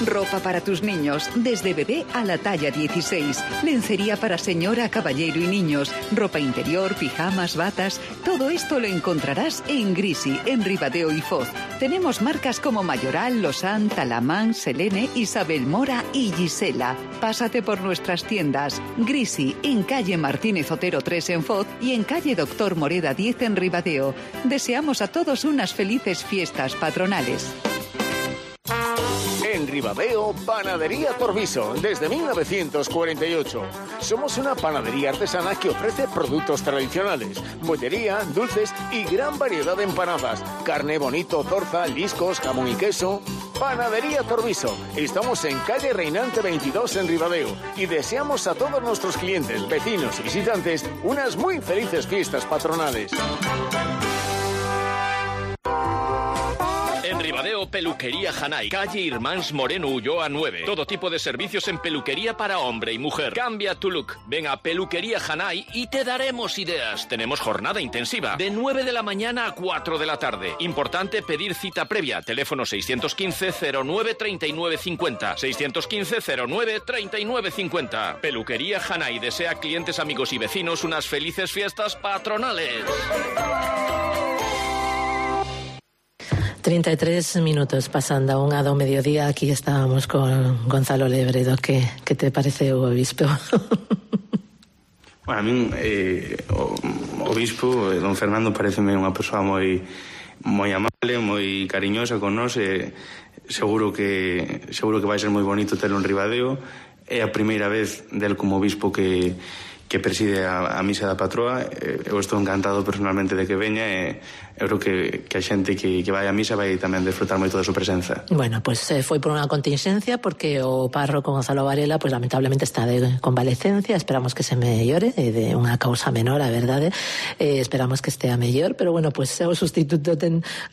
Ropa para tus niños, desde bebé a la talla 16. Lencería para señora, caballero y niños. Ropa interior, pijamas, batas. Todo esto lo encontrarás en Grisi, en Ribadeo y Foz. Tenemos marcas como Mayoral, Lausanne, Talamán, Selene, Isabel Mora y Gisela. Pásate por nuestras tiendas. Grisi, en calle Martínez Otero 3 en Foz y en calle Doctor Moreda 10 en Ribadeo. Deseamos a todos unas felices fiestas patronales. En Ribadeo, Panadería Torviso, desde 1948. Somos una panadería artesana que ofrece productos tradicionales, bollería, dulces y gran variedad de empanadas, carne bonito, torza, liscos, jamón y queso. Panadería Torviso. Estamos en calle Reinante 22 en Ribadeo y deseamos a todos nuestros clientes, vecinos y visitantes unas muy felices fiestas patronales. En Ribadeo, Peluquería Hanay, calle Irmáns Moreno Ulloa 9. Todo tipo de servicios en peluquería para hombre y mujer. Cambia tu look. Ven a Peluquería Hanay y te daremos ideas. Tenemos jornada intensiva de 9 de la mañana a 4 de la tarde. Importante pedir cita previa. Teléfono 615 09 39 50. 615 09 39 50. Peluquería Hanay desea a clientes, amigos y vecinos unas felices fiestas patronales. 33 minutos pasando a 1 do mediodía. Aquí estábamos con Gonzalo Lebredo. ¿Qué te parece o obispo? Bueno, a min o obispo, don Fernando, pareceme unha persoa moi amable, moi cariñosa con nós, e seguro que vai ser moi bonito telo en Ribadeo. É a primeira vez del como obispo que que preside a misa da patroa. Eu estou encantado personalmente de que veña e eu creo que a xente que vai a misa vai tamén desfrutar moito da súa presenza. Bueno, pues foi por unha contingencia porque o párroco Gonzalo Varela pues lamentablemente está de convalecencia, esperamos que se mellore, de unha causa menor, a verdade, esperamos que estea mellor, pero bueno, pues o sustituto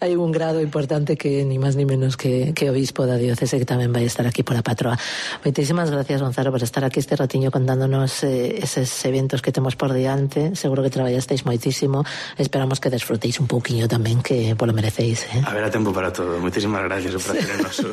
hai un grado importante que ni máis ni menos que o obispo da diocese que tamén vai estar aquí pola patroa. Moitísimas gracias, Gonzalo, por estar aquí este ratiño contándonos eses eventos que temos por diante. Seguro que traballasteis moitísimo, esperamos que desfrutéis un pouquiño tamén, que polo merecéis. Haberá tempo para todo. Moitísimas gracias, o prazer é noso.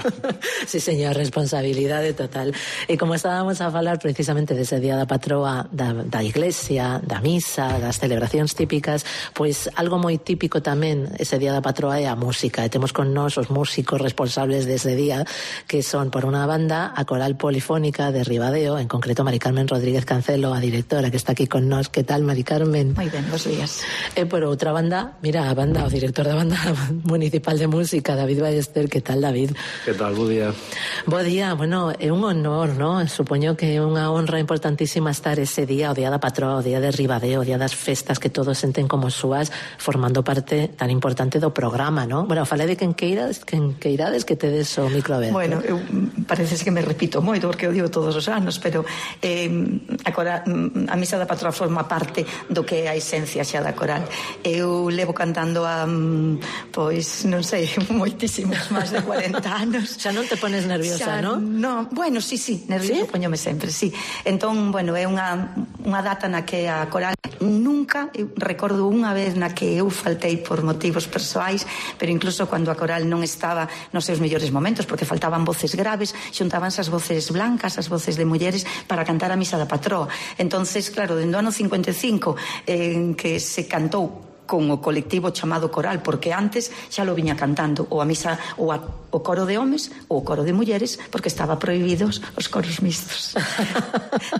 Sí, señor, responsabilidade total. E como estábamos a falar precisamente dese día da patroa da iglesia, da misa, das celebracións típicas, pois algo moi típico tamén ese día da patroa é a música, e temos con nós os músicos responsables dese día, que son, por unha banda, a Coral Polifónica de Ribadeo, en concreto Mari Carmen Rodríguez Cancelo, a directora que está aquí con nós. Que tal, Mari Carmen? Moi ben, bons días. E por outra banda, mira, a banda, o director da banda municipal de música, David Ballester. Que tal, David? Que tal, bo día. Bo día, bueno, é un honor, ¿no? Supoño que é unha honra importantísima estar ese día, o día da patroa, o día de Ribadeo, o día das festas que todos senten como súas, formando parte tan importante do programa, ¿no? Bueno, falei de quen queirades que tedes o micro aberto. Bueno, parece que me repito moito porque o digo todos os anos, pero a misa da patroa forma parte do que é a esencia xa da coral. Eu levo cantando a pois, non sei, moitísimos, máis de 40 anos. Xa non te pones nerviosa, non? No, bueno, sí, nerviosa poñome sempre, sí. Entón, bueno, é unha data na que a coral nunca, eu recordo unha vez na que eu faltei por motivos persoais, pero incluso cando a coral non estaba nos seus mellores momentos, porque faltaban voces graves, xuntábanse as voces blancas, as voces de mulleres para cantar a misa da patroa. Entonces, claro, dende o ano 55 que se cantou con o colectivo chamado coral, porque antes xa lo viña cantando ou a misa ou o coro de homes ou o coro de mulleres, porque estaba prohibidos os coros mixtos.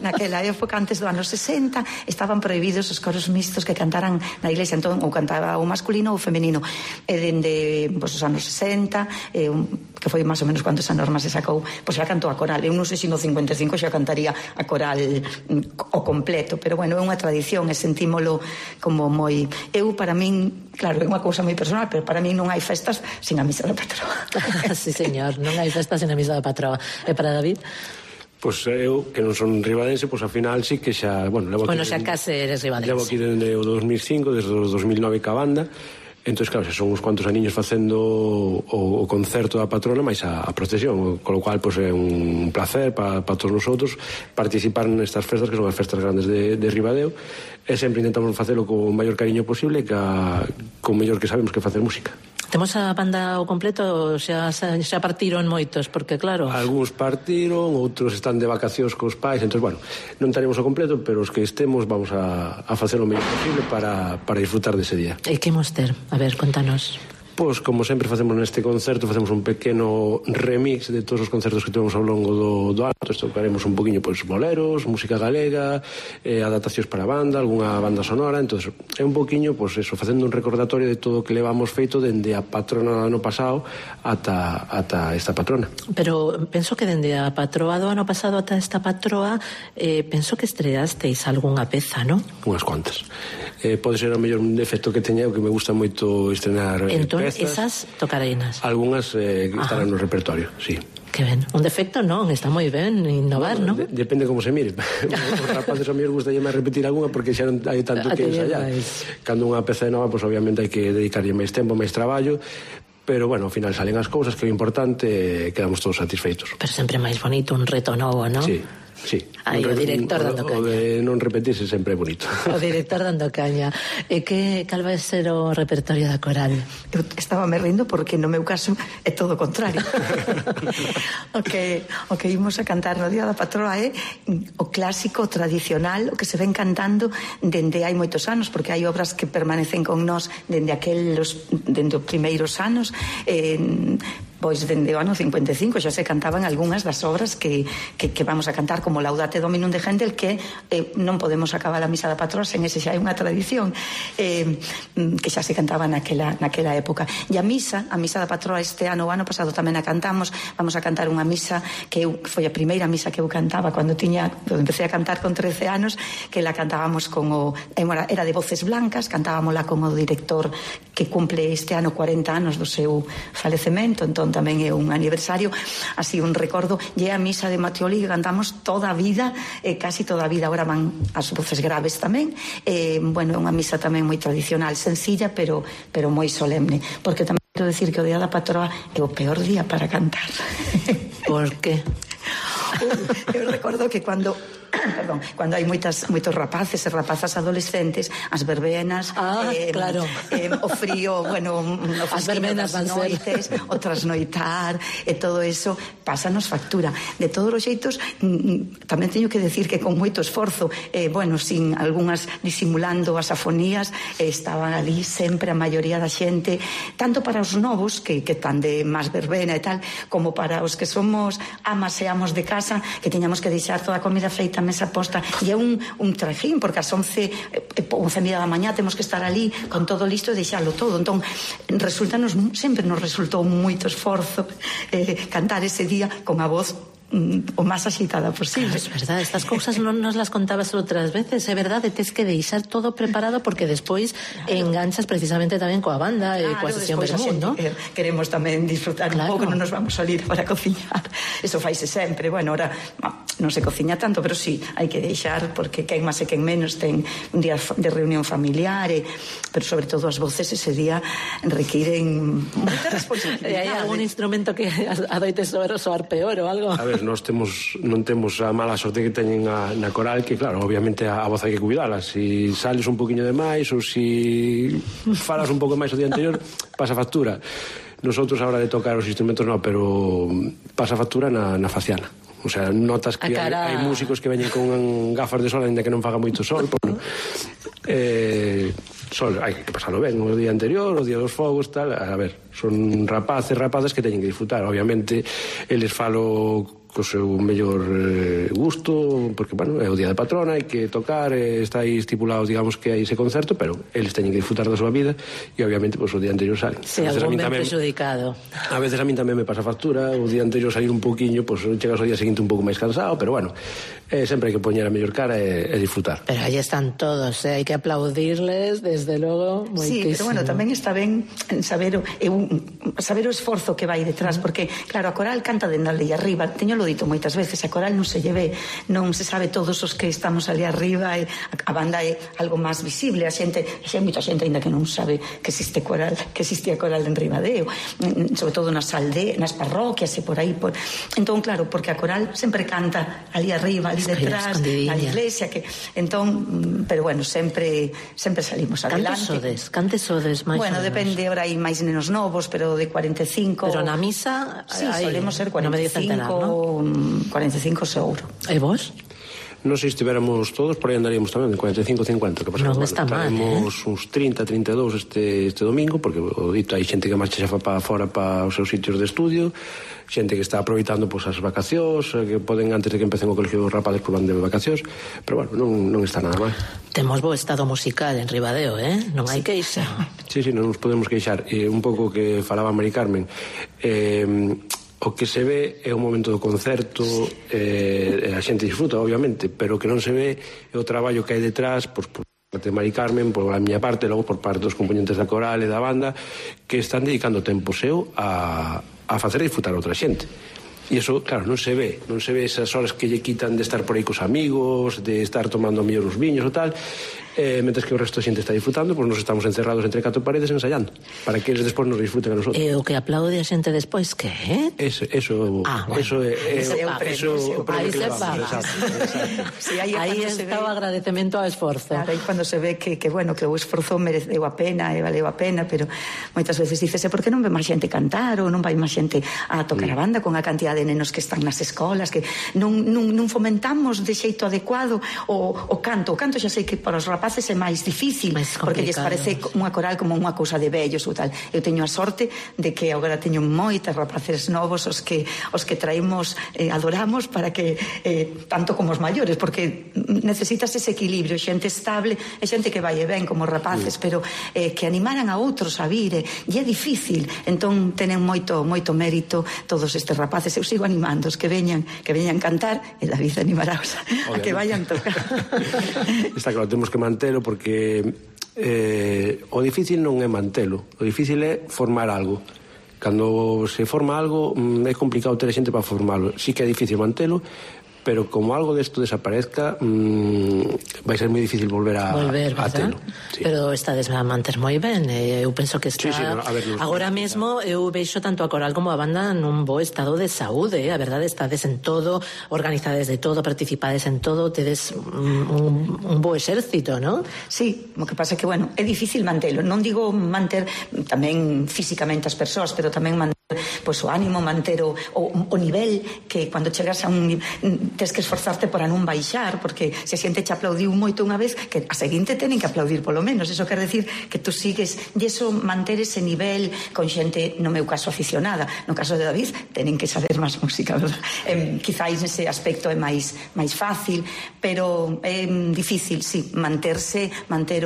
Naquela época, antes do ano 60, estaban prohibidos os coros mixtos que cantaran na iglesia, entón ou cantaba o masculino ou o femenino. E dende os anos 60, que foi máis ou menos cando esa norma se sacou, pois xa cantou a coral. Eu non sei se no 55 xa cantaría a coral o completo, pero bueno, é unha tradición e sentímolo como moi... Para min, claro, é unha cousa moi personal, pero para min non hai festas sin a misa da patroa. Sí, señor, non hai festas sin a misa da patroa. E para David? Pois eu, que non son ribadense, pois ao final sí que xa... Bueno, xa case eres ribadense. Levo aquí desde o 2005, desde o 2009 ca banda. Entón, claro, xa son uns cuantos aniños facendo o concerto da patrona máis a procesión, con lo cual pois, é un placer para todos nosotros participar nestas festas, que son as festas grandes de Ribadeo, e sempre intentamos facelo con o maior cariño posible, con mellor que sabemos que facer música. Temos a banda ao completo, xa partiron moitos, porque claro... Algúns partiron, outros están de vacacións cos pais, entón, bueno, non taremos o completo, pero os que estemos vamos a facer o mellor posible para disfrutar dese día. E que imos ter? A ver, contanos. Pois, como sempre facemos neste concerto, facemos un pequeno remix de todos os concertos que temos ao longo do ano. Tocaremos un poquinho, pois, boleros, música galega, adaptacións para banda, algunha banda sonora. Entón, é un poquinho, pois, eso, facendo un recordatorio de todo o que levamos feito dende a patrona do ano pasado ata esta patrona. Pero penso que dende a patroa do ano pasado ata esta patroa, penso que estreasteis algunha peza, non? Unhas cuantas. Pode ser o mellor defecto que teña, o que me gusta moito estrenar entón, pezas. Esas tocareinas. Algunhas estarán no repertorio, sí. Que ben, un defecto non, está moi ben innovar, non? Depende como se mire. Os rapaces a mí os gusta máis repetir algunha porque xa non hai tanto que ensayar. Cando unha peza é nova, pois obviamente hai que dedicarlle máis tempo, máis traballo, pero bueno, ao final salen as cousas, que é importante, quedamos todos satisfeitos. Pero sempre máis bonito un reto novo, non? Sí. Aí o director dando caña. O de non repetirse sempre é bonito. O director dando caña. E cal vai ser o repertorio da coral? Eu estaba me rindo porque no meu caso é todo o contrario. o que imos a cantar no Día da Patroa é o clásico, tradicional, o que se ven cantando dende hai moitos anos, porque hai obras que permanecen con nós dende os primeiros anos, Pois dende o ano 55 xa se cantaban algunhas das obras que vamos a cantar, como Laudate Dominum de Händel, que non podemos acabar a misa da patroa sen ese xa é unha tradición que xa se cantaba naquela época. E a misa da patroa este ano, o ano pasado tamén a cantamos. Vamos a cantar unha misa que foi a primeira misa que eu cantaba cando empecé a cantar con 13 anos, que la cantábamos era de Voces Blancas, cantábamosla con o director que cumple este ano 40 anos do seu falecemento, entón tamén é un aniversario, así un recordo. E a misa de Matioli que cantamos toda a vida, casi toda a vida. Agora van as voces graves tamén. Bueno, é unha misa tamén moi tradicional, sencilla, pero moi solemne, porque tamén quero decir que o día da patroa é o peor día para cantar. Por que? Eu recordo que cando hai moitos rapaces e rapazas adolescentes, as verbenas, claro, o frío, bueno, as verbenas das noites, o trasnoitar e todo eso pásanos factura. De todos os xeitos, tamén teño que decir que con moito esforzo, bueno, sin algunhas disimulando as afonías, estaban ali sempre a maioría da xente, tanto para os novos que tan de máis verbena e tal, como para os que somos amas e amos de casa, que teñamos que deixar toda a comida feita, mesa posta, e é un trajín, porque ás 11:30 da mañá temos que estar ali con todo listo e deixarlo todo. Entón, sempre nos resultou moito esforzo cantar ese día con a voz o máis axitada posible. Claro, é verdade, estas cousas non nos las contabas outras veces, é verdade, tes que deixar todo preparado porque despois enganchas precisamente tamén coa banda e coa sesión Vermut, non? Queremos tamén disfrutar un pouco, non nos vamos a salir para cociñar, eso faise sempre. Bueno, ahora non se cociña tanto, pero sí, hai que deixar, porque quen máis e quen menos ten un día de reunión familiar, pero sobre todo as voces ese día requiren moita responsabilidade. Hai algún instrumento que adoite soar peor ou algo? A ver, nós non temos a mala sorte que teñen na coral, que claro, obviamente a voz hai que cuidala. Si sales un poquinho de máis ou si falas un pouco máis o día anterior, pasa factura. Nosotros a hora de tocar os instrumentos non, pero pasa factura na faciana. O sea, notas que hai músicos que veñen con gafas de sol ainda que non faga moito sol, sol, hai que pasarlo ben o día anterior, o día dos fogos, tal. A ver, son rapazas que teñen que disfrutar. Obviamente, eles falo co seu mellor gusto, porque, bueno, é o día da patrona, hai que tocar, está aí estipulado, digamos, que hai ese concerto, pero eles teñen que disfrutar da súa vida e, obviamente, pues, o día anterior salen. Sí, algún ben prejudicado. A veces a min tamén me pasa factura, o día anterior salir un pouquiño, pues, chegas ao día seguinte un pouco máis cansado, pero, bueno, sempre hai que poñer a mellor cara e disfrutar. Pero aí están todos, hai que aplaudirles, desde logo, moitísimo. Sí, pero, bueno, tamén está ben saber o esforzo que vai detrás, porque, claro, a coral canta dende ali arriba, teño lo dito moitas veces, a coral non se lleve, non se sabe todos os que estamos ali arriba, a banda é algo máis visible, a xente, hai moita xente ainda que non sabe que existe a coral en Ribadeo, sobre todo nas aldeas, nas parroquias e por aí, entón, claro, porque a coral sempre canta ali arriba, ali detrás, na iglesia, que entón, pero bueno, sempre salimos adelante. Cantes sodes máis. Bueno, depende, ahora hai máis nenos novos, pero de 45. Pero na misa sí, solemos ser 45, 45 seguro. E vos? Non sei se estiveramos todos, por aí andaríamos tamén, de 45-50. Non está mal, Estaremos uns 30-32 este domingo, porque o dito hai xente que marcha xa para fora para os seus sitios de estudio, xente que está aproveitando as vacacións, que poden antes de que empecen o colegio dos rapazes por van de vacacións, pero bueno, non está nada mal. Temos bo estado musical en Ribadeo, non hai queixa. Sí, non nos podemos queixar. Un pouco que falaba Mari Carmen, o que se ve é o momento do concerto, a xente disfruta, obviamente, pero o que non se ve é o traballo que hai detrás, por parte de Mari Carmen, por a miña parte, logo por parte dos componentes da coral e da banda, que están dedicando tempo seu a facer disfrutar a outra xente. E iso, claro, non se ve esas horas que lle quitan de estar por aí cos amigos, de estar tomando mellor os viños ou tal, mentres que o resto da xente está disfrutando, pois nos estamos encerrados entre 4 paredes ensayando, para que eles despois nos disfruten a nosotros. E o que aplaude a xente despois, que é? Eso é o premio que levamos. Aí está o agradecemento ao esforzo. Claro, aí cando se ve que o esforzo mereceu a pena e valeu a pena, pero moitas veces dícese, por que non ve máis xente cantar ou non vai máis xente a tocar a banda con a cantidad de nenos que están nas escolas, que non fomentamos de xeito adecuado o canto xa sei que para os rapazes rapaces é máis difícil, porque lles parece unha coral como unha cousa de vellos ou tal. Eu teño a sorte de que agora teño moitas rapaces novos os que traemos, adoramos para que tanto como os maiores, porque necesitas ese equilibrio, xente estable e xente que vai e ben como rapaces, pero que animaran a outros a vir, e é difícil. Entón tenen moito mérito todos estes rapaces. Eu sigo animando os que veñan cantar, e David animaraos a que vayan tocar. Está claro, temos que mantelo, porque o difícil non é mantelo, o difícil é formar algo. Cando se forma algo é complicado ter xente para formalo. Sí que é difícil mantelo, pero como algo desto desaparezca, vai ser moi difícil volver a telo. Sí. Pero estades a manter moi ben, eu penso que está... Agora mesmo eu veixo tanto a coral como a banda nun bo estado de saúde, a verdade, estades en todo, organizades de todo, participades en todo, tedes un bo exército, non? Sí, o que pasa é que, bueno, é difícil mantelo. Non digo manter tamén físicamente as persoas, pero tamén manter o ánimo, manter o nivel, que cando chegas a un... tes que esforzarte para non baixar, porque se a xente che aplaudiu moito unha vez, que a seguinte tenen que aplaudir polo menos. Eso quer decir que tú sigues, e eso, manter ese nivel con xente, no meu caso aficionada, no caso de David tenen que saber máis música, verdad? Quizáis nese aspecto é máis fácil, pero é difícil, sí, manter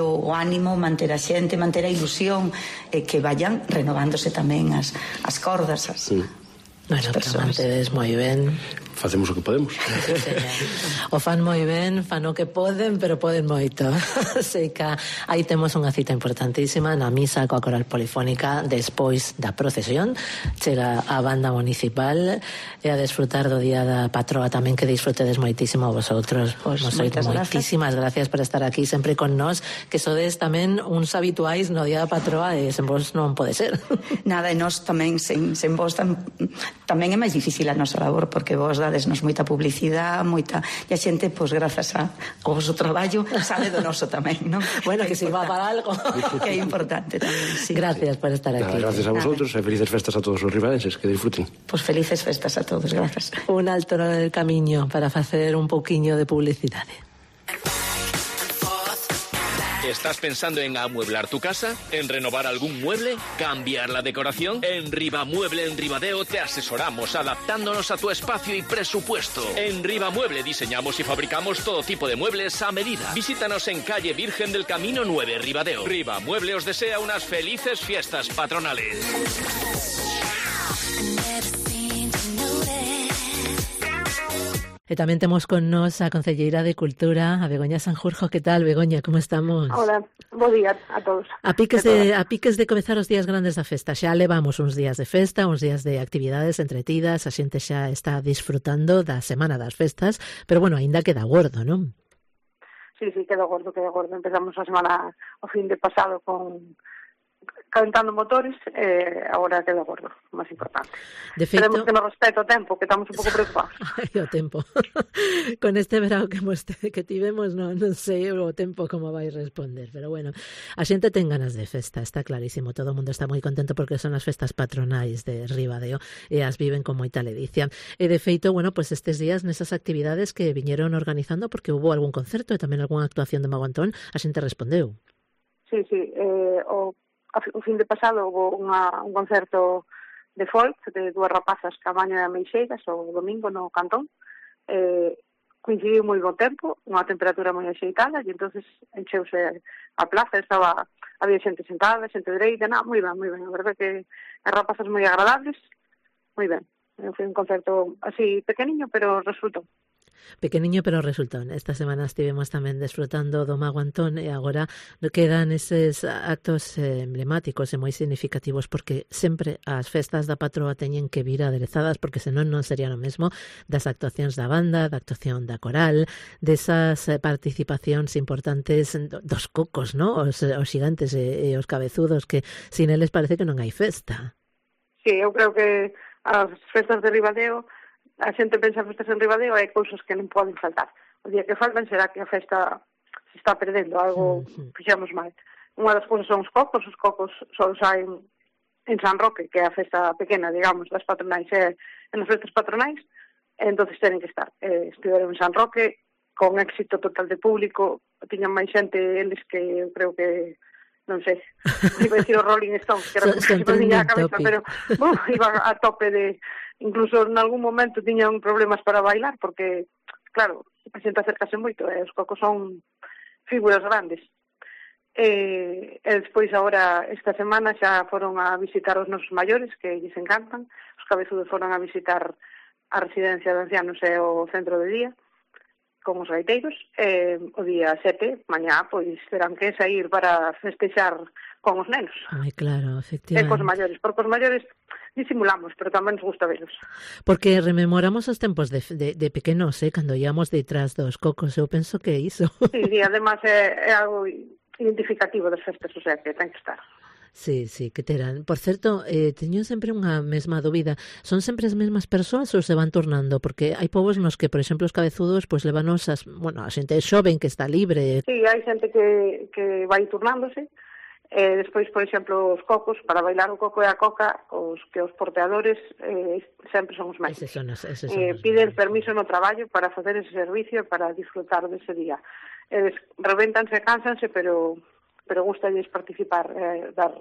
o ánimo, manter a xente, manter a ilusión, que vayan renovándose tamén as cordas, as persoas. Mantedes moi ben. Facemos o que podemos. O fan moi ben, fan o que poden, pero poden moito. Sei que aí temos unha cita importantísima na misa coa coral polifónica despois da procesión. Chega a banda municipal e a desfrutar do día da patroa tamén, que disfrutedes moitísimo vosotros. Moitísimas gracias por estar aquí sempre con nós, que sodes tamén uns habituais no día da patroa, e sen vos non pode ser. Nada, e nós tamén sen vos tamén é máis difícil a nosa labor, porque vos dadesnos moita publicidade, e a xente, pois, grazas ao vosso traballo, sabe do noso tamén, non? Bueno, que sirva para algo. Que é importante tamén, sí. Gracias por estar aquí. Gracias a vosotros, e felices festas a todos os ribadenses, que disfruten. Pois felices festas a todos, grazas. Un alto no del camiño para facer un pouquiño de publicidade. ¿Estás pensando en amueblar tu casa? ¿En renovar algún mueble? ¿Cambiar la decoración? En Rivamueble en Ribadeo te asesoramos adaptándonos a tu espacio y presupuesto. En Rivamueble diseñamos y fabricamos todo tipo de muebles a medida. Visítanos en calle Virgen del Camino 9, Ribadeo. Rivamueble os desea unas felices fiestas patronales. E tamén temos con nós a concelleira de Cultura, a Begoña Sanjurjo. Que tal, Begoña? Como estamos? Hola, bo día a todos. A piques de comezar os días grandes da festa. Xa levamos uns días de festa, uns días de actividades entretidas, a xente xa está disfrutando da semana das festas, pero bueno, aínda queda gordo, non? Sí, queda gordo. Empezamos a semana o fin de pasado calentando motores, agora queda gordo, máis importante. De feito, esperemos que nos respete o tempo, que estamos un pouco preocupados. Ai, o tempo. Con este verão que tivemos, non sei o tempo como vai responder, pero bueno, a xente ten ganas de festa, está clarísimo, todo o mundo está moi contento porque son as festas patronais de Ribadeo e as viven con moita ledicia. E de feito, bueno, pues estes días nesas actividades que viñeron organizando, porque hubo algún concerto e tamén algunha actuación de Mago Antón, a xente respondeu. Sí, o fin de pasado houve un concerto de folk de dúas rapazas, Camaño e Ameixeiras, o domingo no Cantón. Coincidiu moi bo tempo, unha temperatura moi axeitada, e entonces encheuse a plaza, había xente sentada, xente dereita, moi ben, a verdade que as rapazas moi agradables, moi ben. Foi un concerto así pequeniño, pero resultou. Pequeniño, pero resultón. Esta semana estivemos tamén desfrutando do Mago Antón e agora quedan eses actos emblemáticos e moi significativos, porque sempre as festas da patroa teñen que vir aderezadas, porque senón non serían o mesmo das actuacións da banda, da actuación da coral, desas participacións importantes dos cocos, ¿no? Os xigantes e os cabezudos, que sin eles parece que non hai festa. Sí, eu creo que as festas de Ribadeo, a xente pensa en festas en Ribadeo, hai cousas que non poden faltar. O día que faltan será que a festa se está perdendo, algo fixemos mal. Unha das cousas son os cocos só saen en San Roque, que é a festa pequena, digamos, das patronais, en as festas patronais, entonces tenen que estar. Estiveron en San Roque, con éxito total de público, tiñan máis xente eles que eu creo que non sei, iba a decir o Rolling Stones, que era como que se ponía a cabeza, pero iban a tope de... Incluso en algún momento tiñan problemas para bailar, porque, claro, a xente acercase moito, os Cocos son figuras grandes. E despois, agora, esta semana, xa foron a visitar os nosos maiores, que lles encantan, os cabezudos foron a visitar a residencia de ancianos e o centro de día, con os gaiteiros, o día 7, mañá, pois terán que sair para festexar con os nenos. Ai, claro, efectivamente. E cos maiores, porque os maiores disimulamos, pero tamén nos gusta velos. Porque rememoramos os tempos de pequenos, cando íamos detrás dos Cocos, eu penso que iso. Sí, además é algo identificativo das festas, o sea, que ten que estar. Sí, que terán. Por certo, teño sempre unha mesma dúbida. Son sempre as mesmas persoas ou se van tornando? Porque hai povos nos que, por exemplo, os cabezudos, pois levanos a xente xoven que está libre. Sí, hai xente que vai turnándose. Despois, por exemplo, os Cocos, para bailar o coco e a coca, os porteadores sempre son os mesmos. Piden permiso no traballo para facer ese servicio e para disfrutar dese día. Revéntanse, cánsanse, pero gustalles participar, dar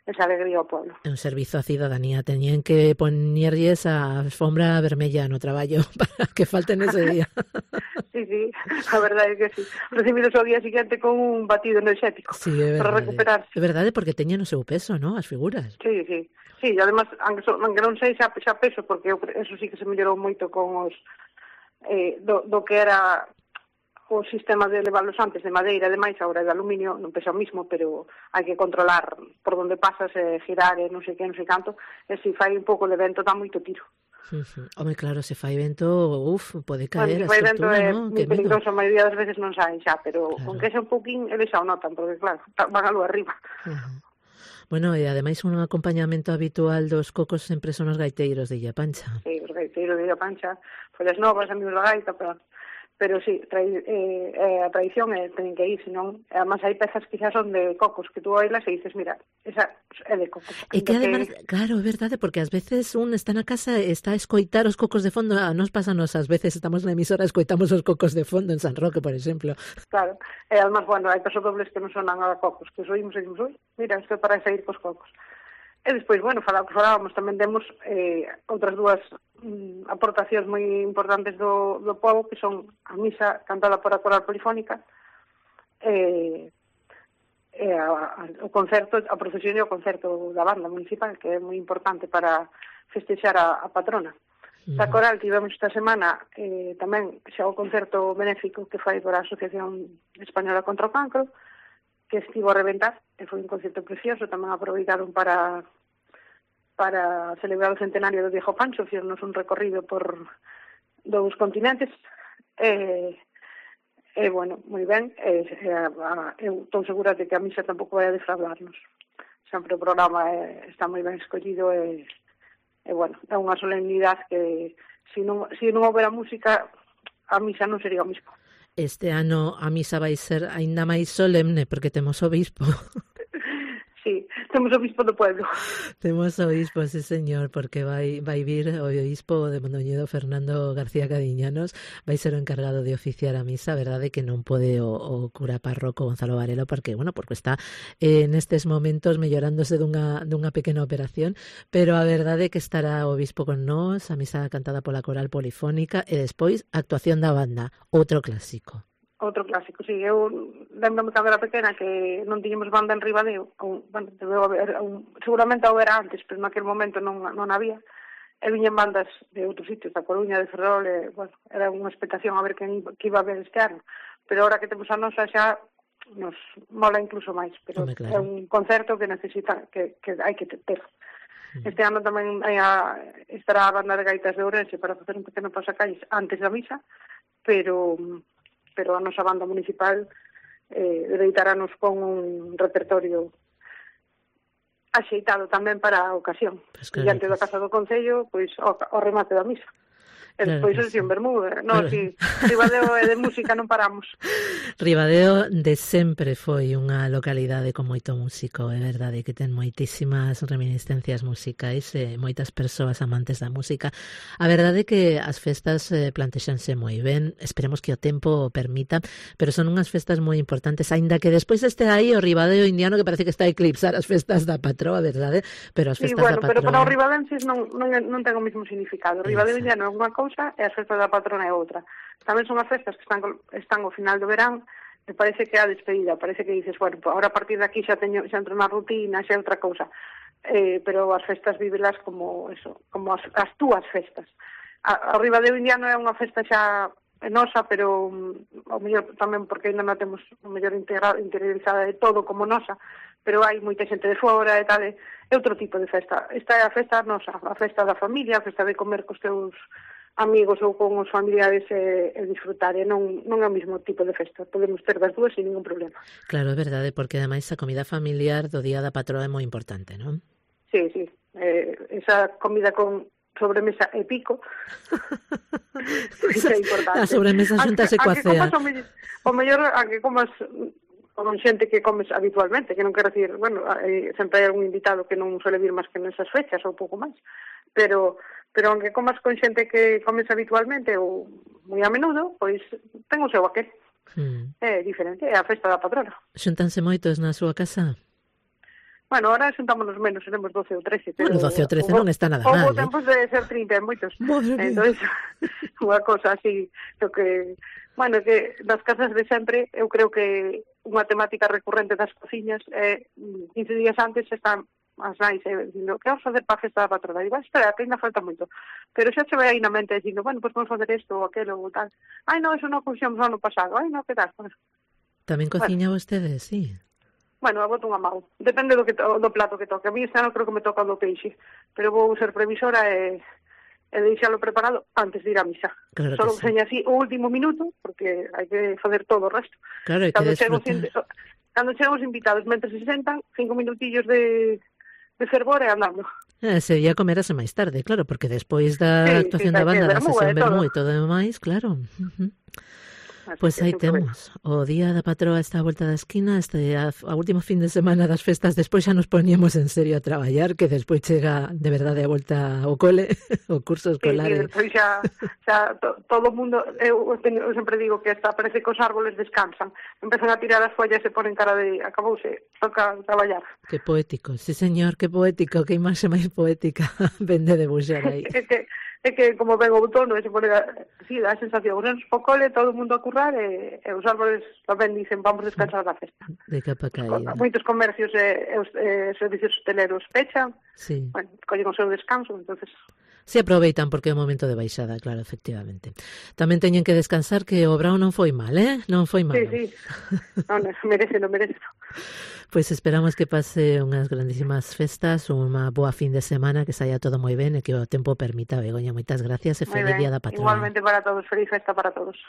esa alegría ao pueblo. É un servizo a cidadanía, teñen que poñerlles a alfombra vermella no traballo para que falten ese día. Sí, a verdade é que sí. Recibidos ao día siguiente con un batido enerxético para recuperarse. É verdade, porque teñen o seu peso, ¿no? As figuras. Sí, además, aunque non sei xa peso, porque eso sí que se mellorou moito con os do que era o sistema de levarlos antes de madeira, ademais, agora de aluminio, non pesa o mismo, pero hai que controlar por onde pasas, girar, non sei que, non sei canto, e se fai un pouco de vento, dá moito tiro. Home, claro, se fai vento, pode caer a fai vento estructura, non? É moi peligroso, a maioría das veces non saen xa, pero con que xa un pouquín, eles xa o notan, porque claro, van a luz arriba. Bueno, e ademais un acompañamento habitual dos Cocos sempre son os gaiteiros de Illa Pancha. Sí, os gaiteiros de Illa Pancha, follas novas, amigos da gaita, pero sí, a tradición teñen que ir, senón, además hai pezas que xa son de Cocos, que tú oilas e dices, mira, esa é de Cocos. E que además, claro, é verdade, porque ás veces un está na casa e está a escoitar os Cocos de fondo, nos pásanos ás veces, estamos na emisora, escoitamos os Cocos de fondo en San Roque, por exemplo. Claro, e además, bueno, hai pasodobles que non sonan a Cocos, que os oímos e dicimos, mira, isto é para sair cos Cocos. E despois, bueno, falábamos, tamén temos outras dúas aportacións moi importantes do pobo, que son a misa cantada por a coral polifónica, o concerto, a procesión e o concerto da banda municipal, que é moi importante para festexar a patrona. Da coral tivemos esta semana tamén xa o concerto benéfico que fai por a Asociación Española contra o Cancro, que estivo a reventar, e foi un concerto precioso, tamén aproveitaron para celebrar o centenario do Viejo Pancho, fixernos un recorrido por 2 continentes, bueno, moi ben, eu estou segura de que a misa tampouco vai a defraudarnos. Sempre o programa está moi ben escollido e bueno, é unha solemnidade que se non houbera música, a misa non sería o mismo. Este ano a misa vai ser aínda máis solemne porque temos o bispo. Sí, temos o bispo do pueblo. Temos o bispo, sí señor, porque vai vir o bispo de Mondoñedo, Fernando García Cadiñanos, vai ser o encargado de oficiar a misa, verdade que non pode o cura párroco Gonzalo Varelo, porque está nestes momentos mellorándose dunha pequena operación, pero a verdade que estará o bispo con nós, a misa cantada pola coral polifónica e despois a actuación da banda, outro clásico. Outro clásico, sí. Eu lembro-me cando era pequena que non tiñemos banda en Ribadeo. Bueno, seguramente houbera antes, pero naquele momento non había. E viñen bandas de outros sitios, da Coruña, de Ferrol, bueno, era unha expectación a ver que iba a ver este ano. Pero ahora que temos a nosa xa nos mola incluso máis, pero é un concerto que necesita, que hai que ter. Este ano tamén estará a banda de gaitas de Ourense para facer un pequeno pasacalles antes da misa, pero a nosa banda municipal deleitáranos con un repertorio axeitado tamén para a ocasión. Diante da Casa do Concello, pois, o remate da misa. E despois claro, en Bermuda, non, si Ribadeo é de música, non paramos. Ribadeo de sempre foi unha localidade con moito músico, é verdade que ten moitísimas reminiscencias musicais e moitas persoas amantes da música. A verdade é que as festas plantexanse moi ben, esperemos que o tempo o permita, pero son unhas festas moi importantes, aínda que despois este aí o Ribadeo indiano que parece que está a eclipsar as festas da patroa, verdade? Pero as festas da patroa... Pero para os ribadenses non ten o mesmo significado. O Ribadeo indiano é unha cousa e as festas da patrona é outra. Tamén son as festas que están ao final do verán e parece que é a despedida, parece que dices, bueno, agora a partir de aquí xa entro na rutina, xa é outra cousa. Pero as festas vívelas como eso, como as túas festas. O Ribadeo indiano é unha festa xa nosa, pero ao mellor tamén porque ainda non temos o mellor interiorizada de todo como nosa, pero hai moita xente de fora e tal, é outro tipo de festa. Esta é a festa nosa, a festa da familia, a festa de comer cos teus amigos ou con os familiares e disfrutar, e non é o mesmo tipo de festa. Podemos ter das dúas sin ningún problema. Claro, é verdade, porque ademais a comida familiar do Día da Patroa é moi importante, non? Sí, esa comida con sobremesa e pico é importante. A sobremesa xuntase coa cea. O mellor a que comas con xente que comes habitualmente, que non quero decir, bueno, sempre hai algún invitado que non suele vir máis que nesas fechas ou pouco máis, pero aunque comas con xente que comes habitualmente ou moi a menudo, pois ten o seu aquel. É diferente, é a festa da patrona. Xuntanse moitos na súa casa? Bueno, ahora xuntámonos menos, seremos 12 ou 13. Pero, bueno, 12 ou 13 non está nada mal. Houve tempos de ser 30 moitos. Entón, unha cosa así, que, bueno, que nas casas de sempre, eu creo que unha temática recurrente das cociñas é 15 días antes están as nais dicindo, que vamos facer para a festa da patrona? Digo, espera, que ainda falta moito. Pero xa se ve aí na mente dicindo, bueno, pues vamos facer isto ou aquelo ou tal. Ai, non, eso non coxemos ano pasado. Ai, non, que tal? Bueno. Tamén cociña vostede, sí. Bueno, a boto unha mão. Depende do plato que toque. A mí este ano creo que me toca do peixe. Pero vou ser previsora e deixalo preparado antes de ir á misa. Claro solo seña así o último minuto, porque hai que facer todo o resto. Claro, hai que disfrutar. Cando chegan os invitados, mentre se sentan, 5 minutillos de fervor e andando. Sería comerase máis tarde, claro, porque despois da actuación da banda, da sesión vermú e todo demais, claro. Pois aí temos o Día da Patroa está a volta da esquina, a último fin de semana das festas, despois xa nos poñemos en serio a traballar, que despois chega de verdade a volta ao cole, o curso escolar. Sí, despois xa todo o mundo, eu sempre digo que hasta parece que os árboles descansan, empezan a tirar as follas e ponen cara de acabouse, toca traballar. Que poético, sí señor, que poético, que imaxe máis poética vende de buxar aí. É que como ven o outono, se pone así, dá a sensación, os nenos po cole, todo o mundo a currar e os árboles tamén dicen vamos descansar da festa. De capa caída. Moitos comercios e os servicios hosteleros pechan, sí. Bueno, collen o seu descanso, entonces... Se aproveitan porque é o momento de baixada, claro, efectivamente. Tamén teñen que descansar que o brao non foi mal, non foi mal. Sí. Non, merece. Pois esperamos que pase unhas grandísimas festas, unha boa fin de semana, que saia todo moi ben e que o tempo permita. Begoña, moitas gracias e feliz Día da Patrona. Igualmente para todos, feliz festa para todos.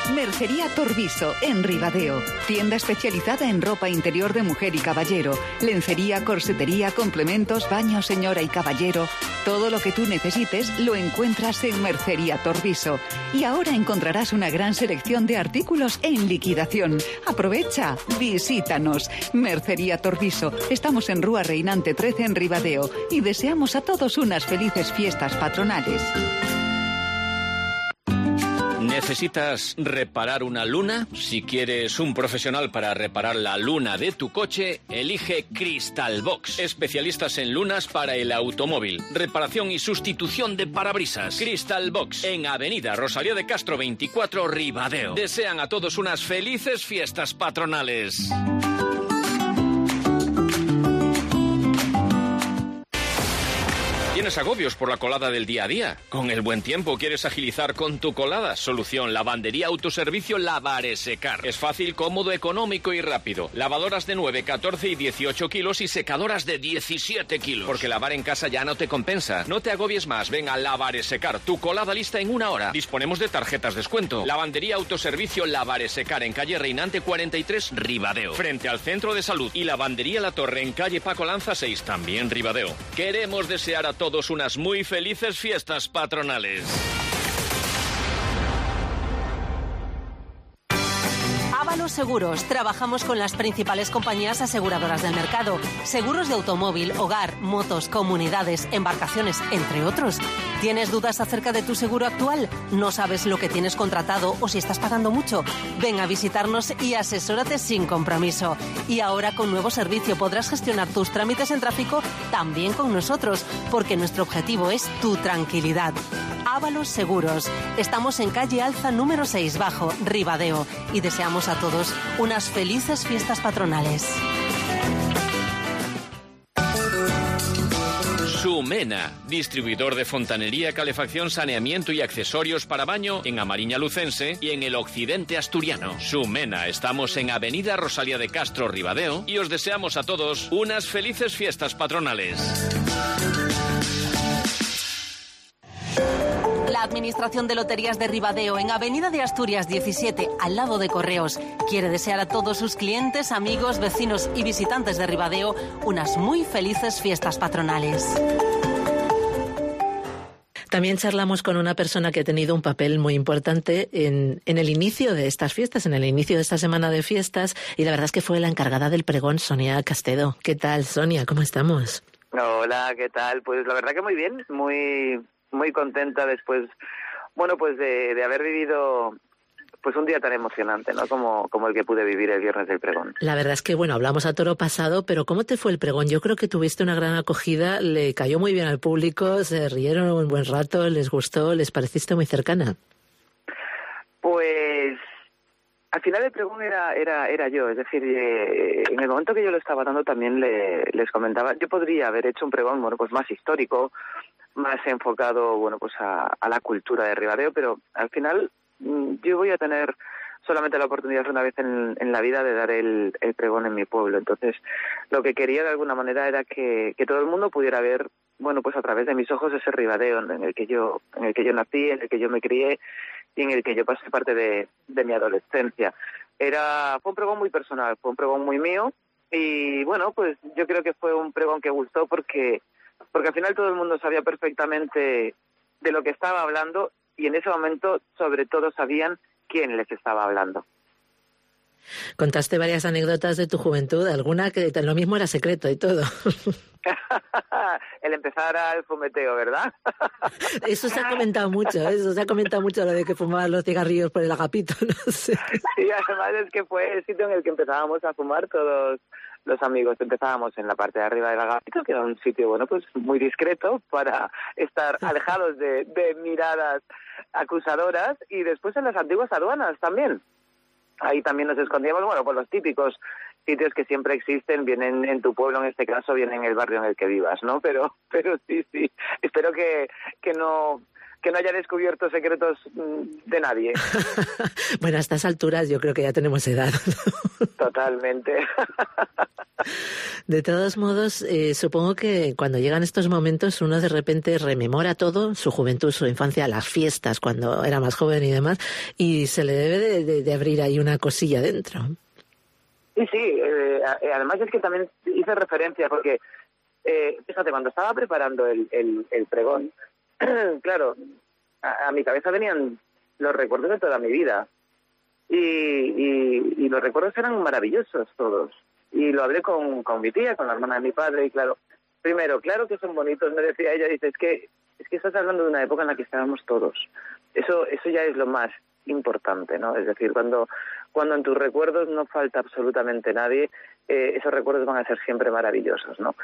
Mercería Torviso, en Ribadeo. Tienda especializada en ropa interior de mujer y caballero. Lencería, corsetería, complementos, baño, señora y caballero. Todo lo que tú necesites lo encuentras en Mercería Torviso. Y ahora encontrarás una gran selección de artículos en liquidación. Aprovecha, visítanos. Mercería Torviso. Estamos en Rúa Reinante 13 en Ribadeo. Y deseamos a todos unas felices fiestas patronales. ¿Necesitas reparar una luna? Si quieres un profesional para reparar la luna de tu coche, elige Crystal Box. Especialistas en lunas para el automóvil. Reparación y sustitución de parabrisas. Crystal Box, en Avenida Rosalía de Castro 24, Ribadeo. Desean a todos unas felices fiestas patronales. ¿Tienes agobios por la colada del día a día? ¿Con el buen tiempo quieres agilizar con tu colada? Solución: lavandería autoservicio Lavaresecar. Es fácil, cómodo, económico y rápido. Lavadoras de 9, 14 y 18 kilos y secadoras de 17 kilos. Porque lavar en casa ya no te compensa. No te agobies más. Ven a Lavaresecar. Tu colada lista en 1 hora. Disponemos de tarjetas descuento. Lavandería autoservicio Lavaresecar en calle Reinante 43, Ribadeo. Frente al Centro de Salud. Y Lavandería La Torre en calle Paco Lanza 6, también Ribadeo. Queremos desear a todos todos unas muy felices fiestas patronales. Ábalos Seguros. Trabajamos con las principales compañías aseguradoras del mercado. Seguros de automóvil, hogar, motos, comunidades, embarcaciones, entre otros. ¿Tienes dudas acerca de tu seguro actual? ¿No sabes lo que tienes contratado o si estás pagando mucho? Ven a visitarnos y asesórate sin compromiso. Y ahora con nuevo servicio podrás gestionar tus trámites en tráfico también con nosotros, porque nuestro objetivo es tu tranquilidad. Ábalos Seguros. Estamos en calle Alza número 6 bajo, Ribadeo, y deseamos a todos unas felices fiestas patronales. Sumena, distribuidor de fontanería, calefacción, saneamiento y accesorios para baño en Amariña Lucense y en el occidente asturiano. Sumena, estamos en Avenida Rosalía de Castro, Ribadeo, y os deseamos a todos unas felices fiestas patronales. La Administración de Loterías de Ribadeo, en Avenida de Asturias 17, al lado de Correos, quiere desear a todos sus clientes, amigos, vecinos y visitantes de Ribadeo unas muy felices fiestas patronales. También charlamos con una persona que ha tenido un papel muy importante en el inicio de estas fiestas, en el inicio de esta semana de fiestas, y la verdad es que fue la encargada del pregón, Sonia Castedo. ¿Qué tal, Sonia? ¿Cómo estamos? Hola, ¿qué tal? Pues la verdad que muy bien, muy contenta después, bueno, pues de haber vivido pues un día tan emocionante, ¿no? Como el que pude vivir el viernes del pregón. La verdad es que, bueno, hablamos a toro pasado, pero ¿cómo te fue el pregón? Yo creo que tuviste una gran acogida, le cayó muy bien al público, se rieron un buen rato, les gustó, les pareciste muy cercana. Pues al final el pregón era yo, es decir, en el momento que yo lo estaba dando también les comentaba, yo podría haber hecho un pregón, bueno, pues más histórico, más enfocado, bueno, pues a la cultura de Ribadeo, pero al final yo voy a tener solamente la oportunidad una vez en la vida de dar el pregón en mi pueblo. Entonces, lo que quería de alguna manera era que todo el mundo pudiera ver, bueno, pues a través de mis ojos ese Ribadeo en el que yo nací, en el que yo me crié y en el que yo pasé parte de mi adolescencia. Fue un pregón muy personal, fue un pregón muy mío y, bueno, pues yo creo que fue un pregón que gustó porque al final todo el mundo sabía perfectamente de lo que estaba hablando y en ese momento, sobre todo, sabían quién les estaba hablando. Contaste varias anécdotas de tu juventud, alguna que lo mismo era secreto y todo. El empezar al fumeteo, ¿verdad? Eso se ha comentado mucho, lo de que fumaban los cigarrillos por el agapito, no sé. Sí, además es que fue el sitio en el que empezábamos a fumar todos los amigos. Empezábamos en la parte de arriba del agapito, que era un sitio, bueno, pues muy discreto para estar alejados de miradas acusadoras, y después en las antiguas aduanas también. Ahí también nos escondíamos, bueno, por los típicos sitios que siempre existen, bien en tu pueblo, en este caso, bien en el barrio en el que vivas, ¿no? Pero sí, espero que no haya descubierto secretos de nadie. Bueno, a estas alturas yo creo que ya tenemos edad, ¿no? Totalmente. De todos modos, supongo que cuando llegan estos momentos uno de repente rememora todo, su juventud, su infancia, las fiestas, cuando era más joven y demás, y se le debe de abrir ahí una cosilla dentro. Sí, además es que también hice referencia porque, fíjate, cuando estaba preparando el pregón, claro, a mi cabeza venían los recuerdos de toda mi vida y los recuerdos eran maravillosos todos. Y lo hablé con mi tía, con la hermana de mi padre, y claro, primero, claro que son bonitos, me decía ella, dice, es que estás hablando de una época en la que estábamos todos. Eso ya es lo más importante, ¿no? Es decir, cuando en tus recuerdos no falta absolutamente nadie, esos recuerdos van a ser siempre maravillosos, ¿no?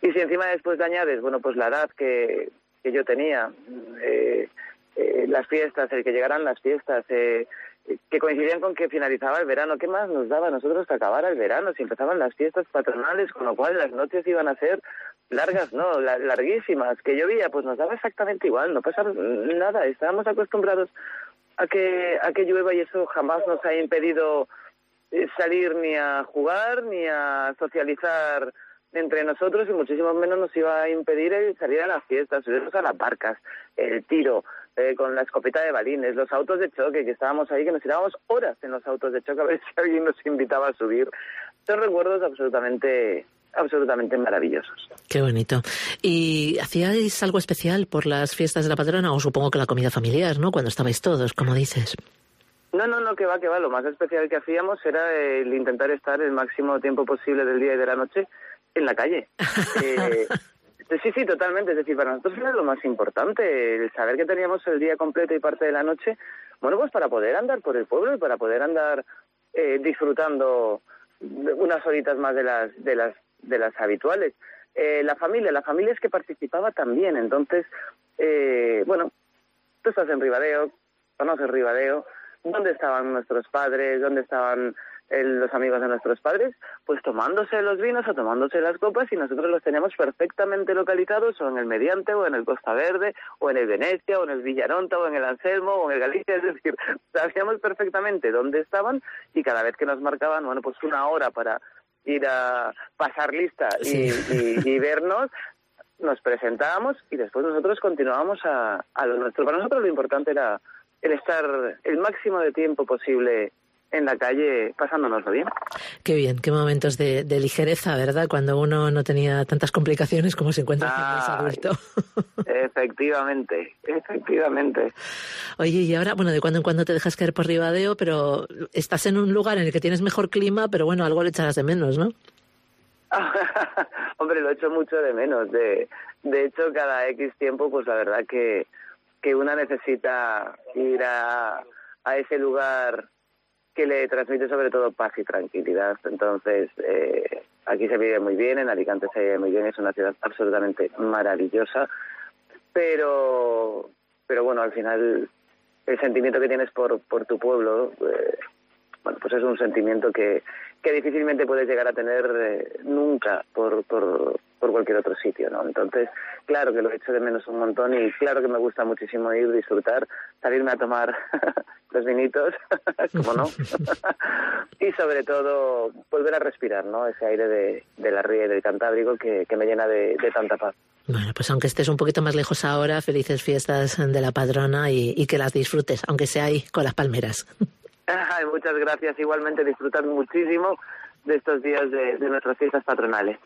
Y si encima después le añades, bueno, pues la edad que yo tenía, las fiestas, el que llegaran las fiestas, que coincidían con que finalizaba el verano, ¿qué más nos daba a nosotros que acabara el verano? Si empezaban las fiestas patronales, con lo cual las noches iban a ser largas, no, larguísimas, que llovía, pues nos daba exactamente igual, no pasaba nada, estábamos acostumbrados a que llueva y eso jamás nos ha impedido salir ni a jugar ni a socializar entre nosotros, y muchísimo menos nos iba a impedir el salir a las fiestas, subirnos a las barcas, el tiro, con la escopeta de balines, los autos de choque, que estábamos ahí, que nos tirábamos horas en los autos de choque a ver si alguien nos invitaba a subir. Son recuerdos absolutamente absolutamente maravillosos. Qué bonito. ¿Y hacíais algo especial por las fiestas de la patrona? O supongo que la comida familiar, ¿no? Cuando estabais todos, como dices. No, que va. Lo más especial que hacíamos era el intentar estar el máximo tiempo posible del día y de la noche en la calle. Sí, totalmente. Es decir, para nosotros era lo más importante, el saber que teníamos el día completo y parte de la noche, bueno, pues para poder andar por el pueblo y para poder andar disfrutando unas horitas más de las habituales. La familia es que participaba también. Entonces, bueno, tú estás en Ribadeo, conoces Ribadeo, ¿dónde estaban nuestros padres? ¿Dónde estaban los amigos de nuestros padres? Pues tomándose los vinos o tomándose las copas, y nosotros los teníamos perfectamente localizados, o en el Mediante, o en el Costa Verde, o en el Venecia, o en el Villaronta, o en el Anselmo, o en el Galicia. Es decir, sabíamos perfectamente dónde estaban, y cada vez que nos marcaban, bueno, pues una hora para ir a pasar lista y vernos, nos presentábamos y después nosotros continuábamos a lo nuestro. Para nosotros lo importante era el estar el máximo de tiempo posible en la calle pasándonoslo bien. Qué bien, qué momentos de ligereza, ¿verdad? Cuando uno no tenía tantas complicaciones como se encuentra más adulto. Efectivamente. Oye, y ahora, bueno, de cuando en cuando te dejas caer por Ribadeo, pero estás en un lugar en el que tienes mejor clima, pero bueno, algo le echarás de menos, ¿no? Hombre, lo echo mucho de menos. De hecho, cada X tiempo, pues la verdad que una necesita ir a ese lugar que le transmite sobre todo paz y tranquilidad. Entonces, aquí se vive muy bien, en Alicante se vive muy bien, es una ciudad absolutamente maravillosa, pero bueno, al final el sentimiento que tienes por tu pueblo, bueno, pues es un sentimiento que difícilmente puedes llegar a tener nunca por cualquier otro sitio, ¿no? Entonces, claro que lo echo de menos un montón, y claro que me gusta muchísimo ir, disfrutar, salirme a tomar los vinitos, como no, y sobre todo volver a respirar, ¿no? Ese aire de la ría y del Cantábrico que me llena de tanta paz. Bueno, pues aunque estés un poquito más lejos ahora, felices fiestas de la patrona y que las disfrutes, aunque sea ahí con las palmeras. Ay, muchas gracias. Igualmente, disfrutar muchísimo de estos días de nuestras fiestas patronales.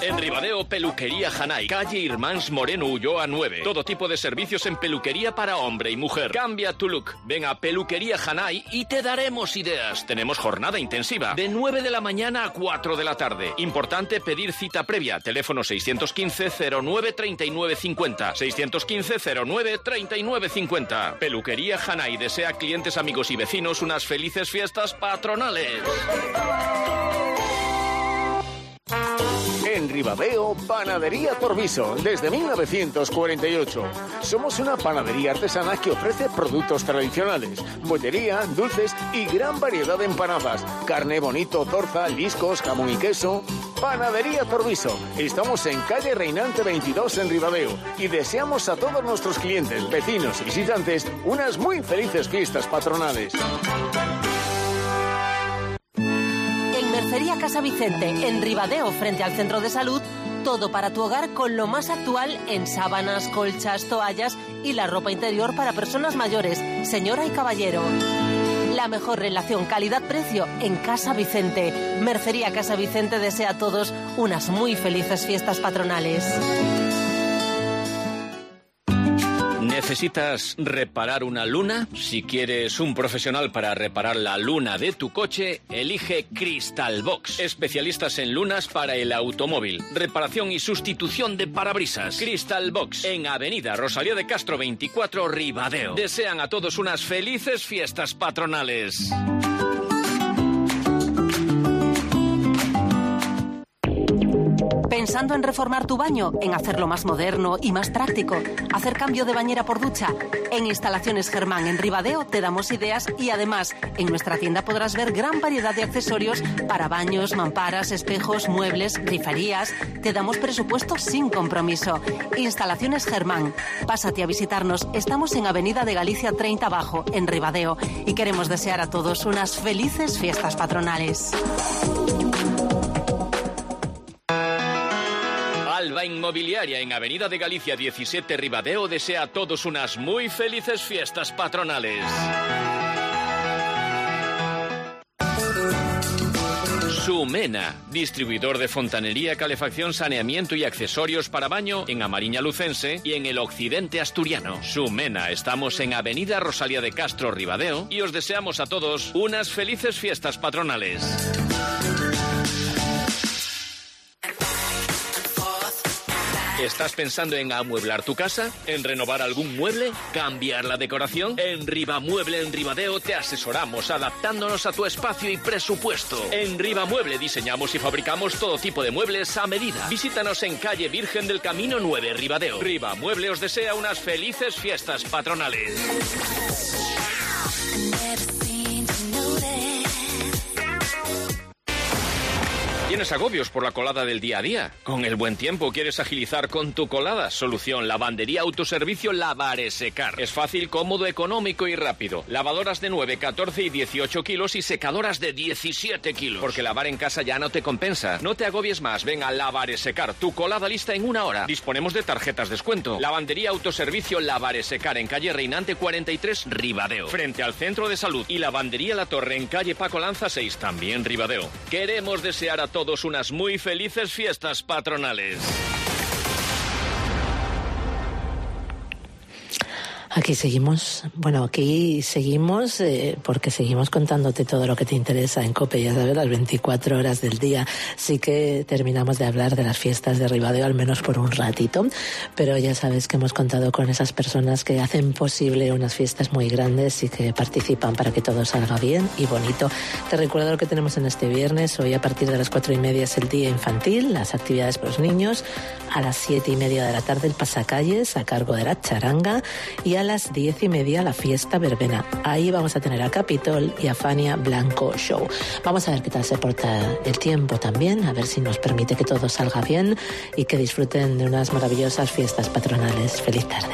En Ribadeo, Peluquería Hanay, calle Irmáns Moreno Ulloa 9. Todo tipo de servicios en peluquería para hombre y mujer. Cambia tu look. Ven a Peluquería Hanay y te daremos ideas. Tenemos jornada intensiva de 9 de la mañana a 4 de la tarde. Importante pedir cita previa. Teléfono 615-09-3950. 615-09-3950. Peluquería Hanay desea a clientes, amigos y vecinos unas felices fiestas patronales. En Ribadeo, Panadería Torviso, desde 1948. Somos una panadería artesana que ofrece productos tradicionales, bollería, dulces y gran variedad de empanadas, carne, bonito, torza, liscos, jamón y queso. Panadería Torviso. Estamos en calle Reinante 22 en Ribadeo y deseamos a todos nuestros clientes, vecinos y visitantes unas muy felices fiestas patronales. Mercería Casa Vicente, en Ribadeo, frente al Centro de Salud, todo para tu hogar con lo más actual en sábanas, colchas, toallas y la ropa interior para personas mayores, señora y caballero. La mejor relación calidad-precio en Casa Vicente. Mercería Casa Vicente desea a todos unas muy felices fiestas patronales. ¿Necesitas reparar una luna? Si quieres un profesional para reparar la luna de tu coche, elige Crystal Box. Especialistas en lunas para el automóvil. Reparación y sustitución de parabrisas. Crystal Box, en Avenida Rosalía de Castro 24, Ribadeo. Desean a todos unas felices fiestas patronales. ¿Pensando en reformar tu baño? ¿En hacerlo más moderno y más práctico? ¿Hacer cambio de bañera por ducha? En Instalaciones Germán en Ribadeo te damos ideas, y además en nuestra tienda podrás ver gran variedad de accesorios para baños, mamparas, espejos, muebles, griferías. Te damos presupuesto sin compromiso. Instalaciones Germán. Pásate a visitarnos. Estamos en Avenida de Galicia 30 Bajo, en Ribadeo, y queremos desear a todos unas felices fiestas patronales. Alba Inmobiliaria, en Avenida de Galicia 17, Ribadeo, desea a todos unas muy felices fiestas patronales. Sumena, distribuidor de fontanería, calefacción, saneamiento y accesorios para baño en Amariña Lucense y en el occidente asturiano. Sumena, estamos en Avenida Rosalía de Castro, Ribadeo, y os deseamos a todos unas felices fiestas patronales. ¿Estás pensando en amueblar tu casa? ¿En renovar algún mueble? ¿Cambiar la decoración? En Ribamueble en Ribadeo te asesoramos adaptándonos a tu espacio y presupuesto. En Ribamueble diseñamos y fabricamos todo tipo de muebles a medida. Visítanos en calle Virgen del Camino 9, Ribadeo. Ribamueble os desea unas felices fiestas patronales. ¿Tienes agobios por la colada del día a día? ¿Con el buen tiempo quieres agilizar con tu colada? Solución: lavandería autoservicio Lavaresecar. Es fácil, cómodo, económico y rápido. Lavadoras de 9, 14 y 18 kilos y secadoras de 17 kilos. Porque lavar en casa ya no te compensa. No te agobies más, ven a Lavaresecar. Tu colada lista en 1 hora. Disponemos de tarjetas descuento. Lavandería autoservicio Lavaresecar en calle Reinante 43, Ribadeo. Frente al Centro de Salud. Y Lavandería La Torre en calle Paco Lanza 6, también Ribadeo. Queremos desear a todos unas muy felices fiestas patronales. Aquí seguimos, porque seguimos contándote todo lo que te interesa en COPE, ya sabes, las 24 horas del día. Sí que terminamos de hablar de las fiestas de Ribadeo, al menos por un ratito, pero ya sabes que hemos contado con esas personas que hacen posible unas fiestas muy grandes y que participan para que todo salga bien y bonito. Te recuerdo lo que tenemos en este viernes. Hoy a partir de las 4:30 es el día infantil, las actividades para los niños. A las 7:30 de la tarde el pasacalles a cargo de la charanga, y a las 10:30 la fiesta verbena. Ahí vamos a tener a Capitol y a Fania Blanco Show. Vamos a ver qué tal se porta el tiempo también, a ver si nos permite que todo salga bien y que disfruten de unas maravillosas fiestas patronales. Feliz tarde.